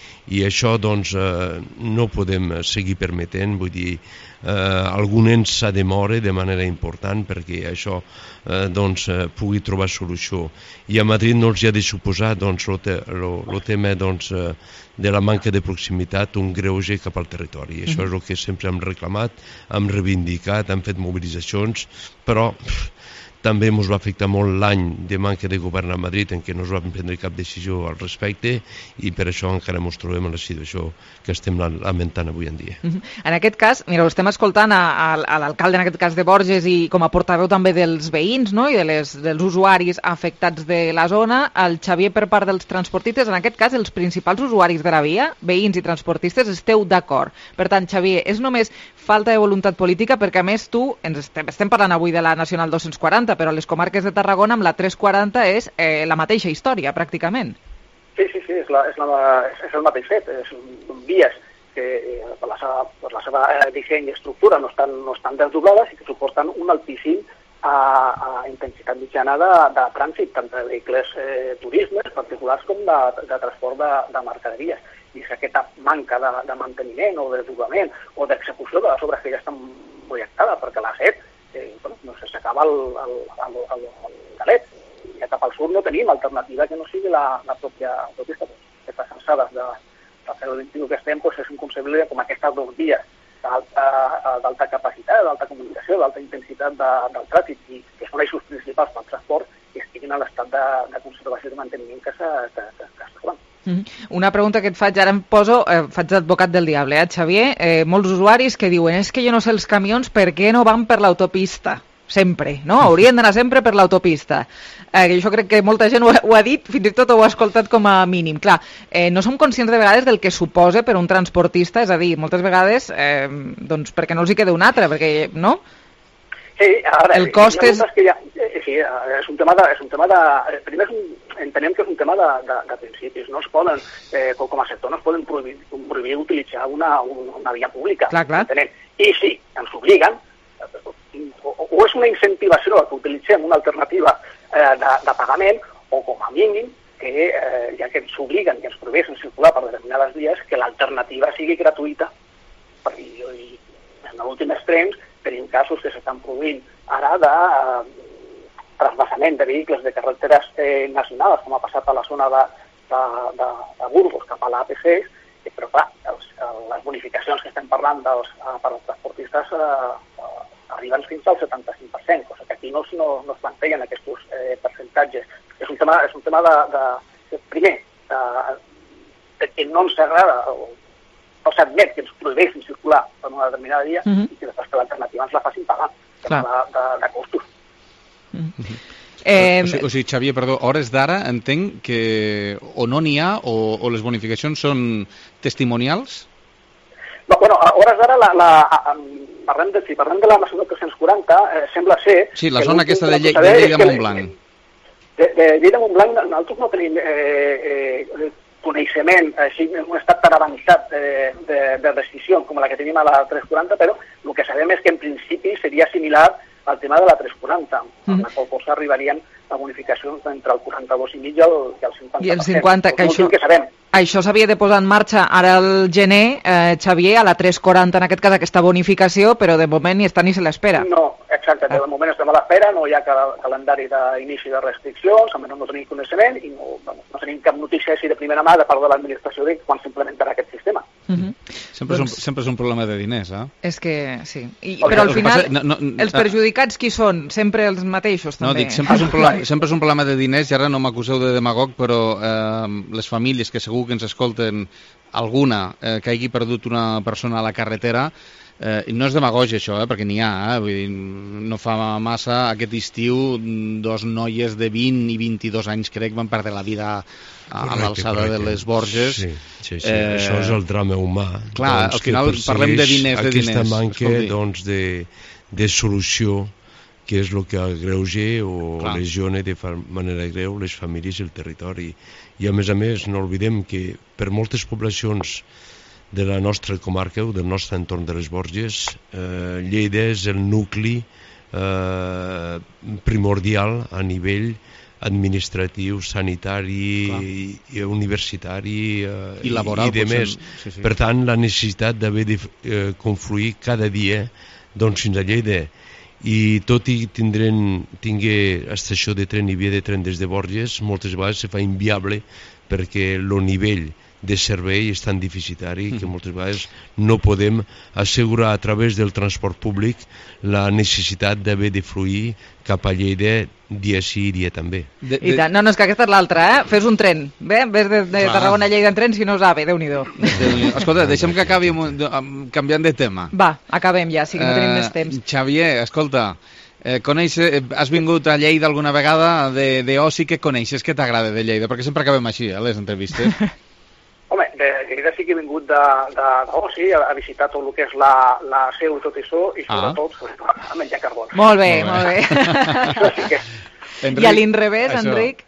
això no podem seguir permetent. Vull dir, algun ens s'ha de moure de manera important perquè això pugui trobar solució, i a Madrid no els hi ha de suposar el tema de la manca de proximitat un greuge cap al territori. Això és el que sempre hem reclamat, hem reivindicat, hem fet mobilitzacions, però també ens va afectar molt l'any de manca de govern a Madrid, en què no es va prendre cap decisió al respecte, i per això encara ens trobem en la situació que estem lamentant avui en dia. En aquest cas, mira, estem escoltant a l'alcalde, en aquest cas de Borges, i com a portaveu també dels veïns, no?, i dels usuaris afectats de la zona, el Xavier per part dels transportistes. En aquest cas, els principals usuaris de la via, veïns i transportistes, esteu d'acord. Per tant, Xavier, és només falta de voluntat política, perquè a més estem parlant avui de la Nacional 240, però a les comarques de Tarragona amb la 340 és la mateixa història, pràcticament. Sí, és el mateix fet. Són vies que per la seva disseny i estructura no estan desdoblades i que suporten un altíssim intensitat mitjana de trànsit, tant de vehicles turismes particulars com de transport de mercaderies. I és aquesta manca de manteniment o de desdoblament o d'execució de les obres que ja estan projectades, perquè la SET s'acaba el galet, i ja cap al sud no tenim alternativa que no sigui la pròpia autopista. Aquestes alçades del segle XXI que estem és inconcebible com aquestes 2 vies d'alta capacitat, d'alta comunicació, d'alta intensitat del trànsit, i que són eixos principals pel transport, que estiguin en l'estat de conservació i de manteniment que es troben. Una pregunta que et faig, ara faig d'advocat del diable, Xavier. Molts usuaris que diuen, és que jo no sé els camions per què no van per l'autopista sempre, no? Haurien d'anar sempre per l'autopista. Jo crec que molta gent ho ha dit, fins i tot ho ha escoltat com a mínim. Clar, no som conscients de vegades del que suposa per un transportista, és a dir, moltes vegades perquè no els hi queda un altre, perquè, no? Sí, ara, el cost és... Sí, és un tema de... Primer entenem que és un tema de principis. No es poden, com a sector, no es poden prohibir utilitzar una via pública. Clar. Entenem. I sí, ens obliguen, o és una incentivació que utilitzem una alternativa de pagament, o com a mínim, que ja que ens obliguen i ens prohibeixen circular per determinades vies, que l'alternativa sigui gratuïta. I en l'últim extrem tenim casos que s'estan produint ara de trasbassament de vehicles de carreteres nacionals, com ha passat a la zona de Burgos cap a l'AP6, però clar, les bonificacions que estem parlant per als transportistes arriben fins al 75%, cosa que aquí no es plantegen aquests percentatges. És un tema de primer, que no ens agrada o no s'admet que ens prohibeixin circular per una determinada via i que després que l'alternativa ens la facin pagar de costos. O sigui, Xavier, perdó, hores d'ara entenc que o no n'hi ha o les bonificacions són testimonials? No, bueno, a hores d'ara, parlem de la Nacional 340, sembla ser... Sí, la zona aquesta de Lleida-Montblanc. De Lleida-Montblanc nosaltres no tenim coneixement, així en un estat tan avançat de restricció com la que tenim a la 340, però el que sabem és que en principi seria similar al tema de la 340, amb la qual cosa arribarien a bonificacions entre el 42,5 i el 50%. I el 50%, que això s'havia de posar en marxa ara al gener, Xavier, a la 340 en aquest cas aquesta bonificació, però de moment ni està ni se l'espera. No, exacte, de moment estem a l'espera, no hi ha calendari d'inici de restriccions, almenys no tenim coneixement i no tenim cap notícia així de primera mà de part de l'administració de quan s'implementarà aquest sistema. Sempre és un problema de diners, eh? És que sí. Però al final, els perjudicats qui són? Sempre els mateixos, també? No, dic, sempre és un problema de diners, i ara no m'acuseu de demagog, però les famílies que segur que ens escolten, alguna que hagi perdut una persona a la carretera, no és demagogia això, perquè n'hi ha, vull dir, no fa massa aquest estiu dos noies de 20 i 22 anys crec van perdre la vida a l'alçada de les Borges. Sí, això és el drama humà. Clar, al final parlem de diners. Aquesta manca de solució, que és el que agreuja o lesiona de manera greu les famílies i el territori. I a més, no oblidem que per moltes poblacions de la nostra comarca o del nostre entorn de les Borges, Lleida és el nucli primordial a nivell administratiu, sanitari, universitari i laboral, i de més. Per tant, la necessitat d'haver de confluir cada dia fins a Lleida. I tot i tingué estació de tren i via de tren des de Borges, moltes vegades se fa inviable perquè el nivell de servei és tan deficitari que moltes vegades no podem assegurar a través del transport públic la necessitat d'haver de fluir cap a Lleida dia sí i dia també. I tant, no, és que aquesta és l'altra, fes un tren, bé? Ves de Tarragona a Lleida en tren, si no us ave, Déu-n'hi-do. Escolta, deixem que acabi canviant de tema. Va, acabem ja, sí que no tenim més temps. Xavier, escolta, has vingut a Lleida alguna vegada d'oci, què coneixes, què t'agrada de Lleida? Perquè sempre acabem així, les entrevistes. Home, de Lleida sí que he vingut d'oci, a visitar tot el que és la seu i tot això, i sobretot a menjar carbons. Molt bé, molt bé. I a l'inrevés, Enric?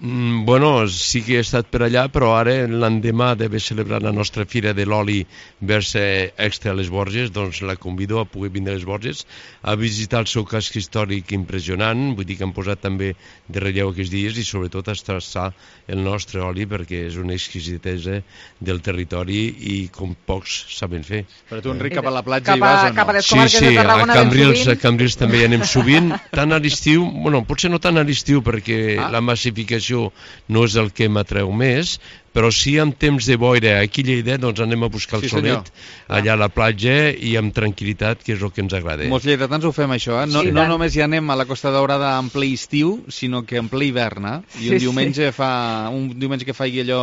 Bueno, sí que he estat per allà, però ara, l'endemà d'haver celebrat la nostra fira de l'oli Versa Extra a les Borges, doncs la convido a poder vindre a les Borges a visitar el seu casc històric impressionant, vull dir que han posat també de relleu aquests dies i sobretot a traçar el nostre oli perquè és una exquisitesa del territori i com pocs saben fer. Però tu, Enric, cap a la platja hi vas o no? Cap a les comarques de Tarragona ben sovint? Sí, a Cambrils també hi anem sovint, tant a l'estiu, bueno, potser no tant a l'estiu perquè la massificació no és el que m'atreu més, però sí en temps de boira aquí a Lleida, doncs anem a buscar el solet allà a la platja i amb tranquil·litat, que és el que ens agrada. Molts lleidatans ho fem això, no només hi anem a la Costa Daurada en ple estiu, sinó que en ple hivern, i un diumenge que faci allò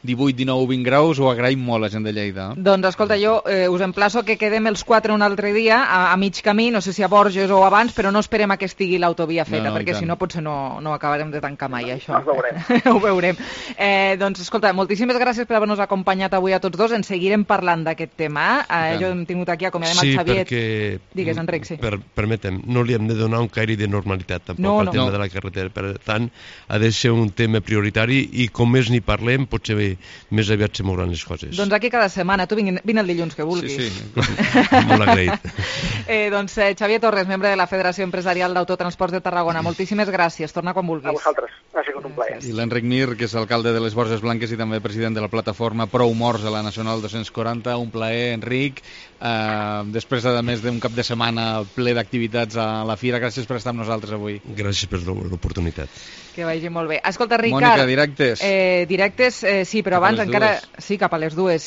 18, 19, 20 graus ho agraïm molt la gent de Lleida. Doncs escolta, jo us emplaço que quedem els 4 un altre dia a mig camí, no sé si a Borges o abans, però no esperem a que estigui l'autovia feta, perquè si no potser no acabarem de tancar mai això. Ho veurem. Ho veurem. Doncs escolta, moltíssimes gràcies per haver-nos acompanyat avui a tots dos. En seguirem parlant d'aquest tema. Jo hem tingut aquí, acomiadem el Xavier. Sí, perquè... Digues, Enric, sí. Permetem, no li hem de donar un caire de normalitat tampoc al tema de la carretera. Per tant, ha de ser un tema prioritari i com més n'hi parlem, potser més aviat se mouran les coses. Doncs aquí cada setmana. Tu vine el dilluns que vulguis. Sí. Molt agraït. Doncs Xavier Torres, membre de la Federació Empresarial d'Autotransports de Tarragona. Moltíssimes gràcies. Torna quan vulguis. A vosaltres. Ha sigut un plaer. I l'Enric Mir, que és alcalde de les Borges Blanques i també president de la plataforma Prou Morts a la Nacional 240. Un plaer, Enric. Després, a més d'un cap de setmana ple d'activitats a la Fira, gràcies per estar amb nosaltres avui. Gràcies per l'oportunitat. Que vagi molt bé. Escolta, Ricard... Mònica, directes. Directes, sí, però abans encara... Sí, cap a les dues.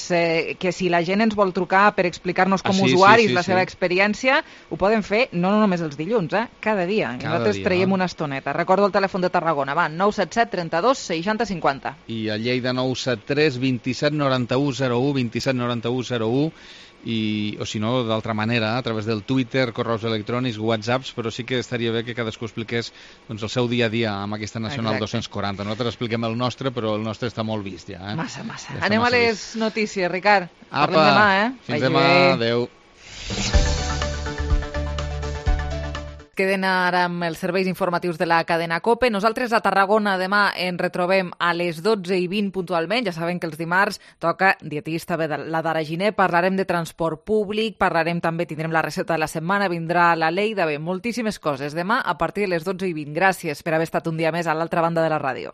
Que si la gent ens vol trucar per explicar-nos com usuaris la seva experiència, ho poden fer no només els dilluns, cada dia. Nosaltres traiem una estoneta. Recordo el telèfon de Tarragona, va, 977 32 60 50. I a Lleida 973 27 91 01, 27 91 01, o si no, d'altra manera, a través del Twitter, correus electrònics, WhatsApps, però sí que estaria bé que cadascú expliqués el seu dia a dia amb aquesta Nacional 240. Nosaltres expliquem el nostre, però el nostre està molt vist ja. Massa. Anem a les notícies, Ricard. Apa, parlem demà, Fins demà, adeu. Queden ara amb els serveis informatius de la cadena COPE. Nosaltres a Tarragona demà ens retrobem a les 12:20 puntualment. Ja saben que els dimarts toca dietista, la Dara Giner, parlarem de transport públic, tindrem la recepta de la setmana, vindrà la Leida, moltíssimes coses. Demà a partir de les 12:20. Gràcies per haver estat un dia més a l'altra banda de la ràdio.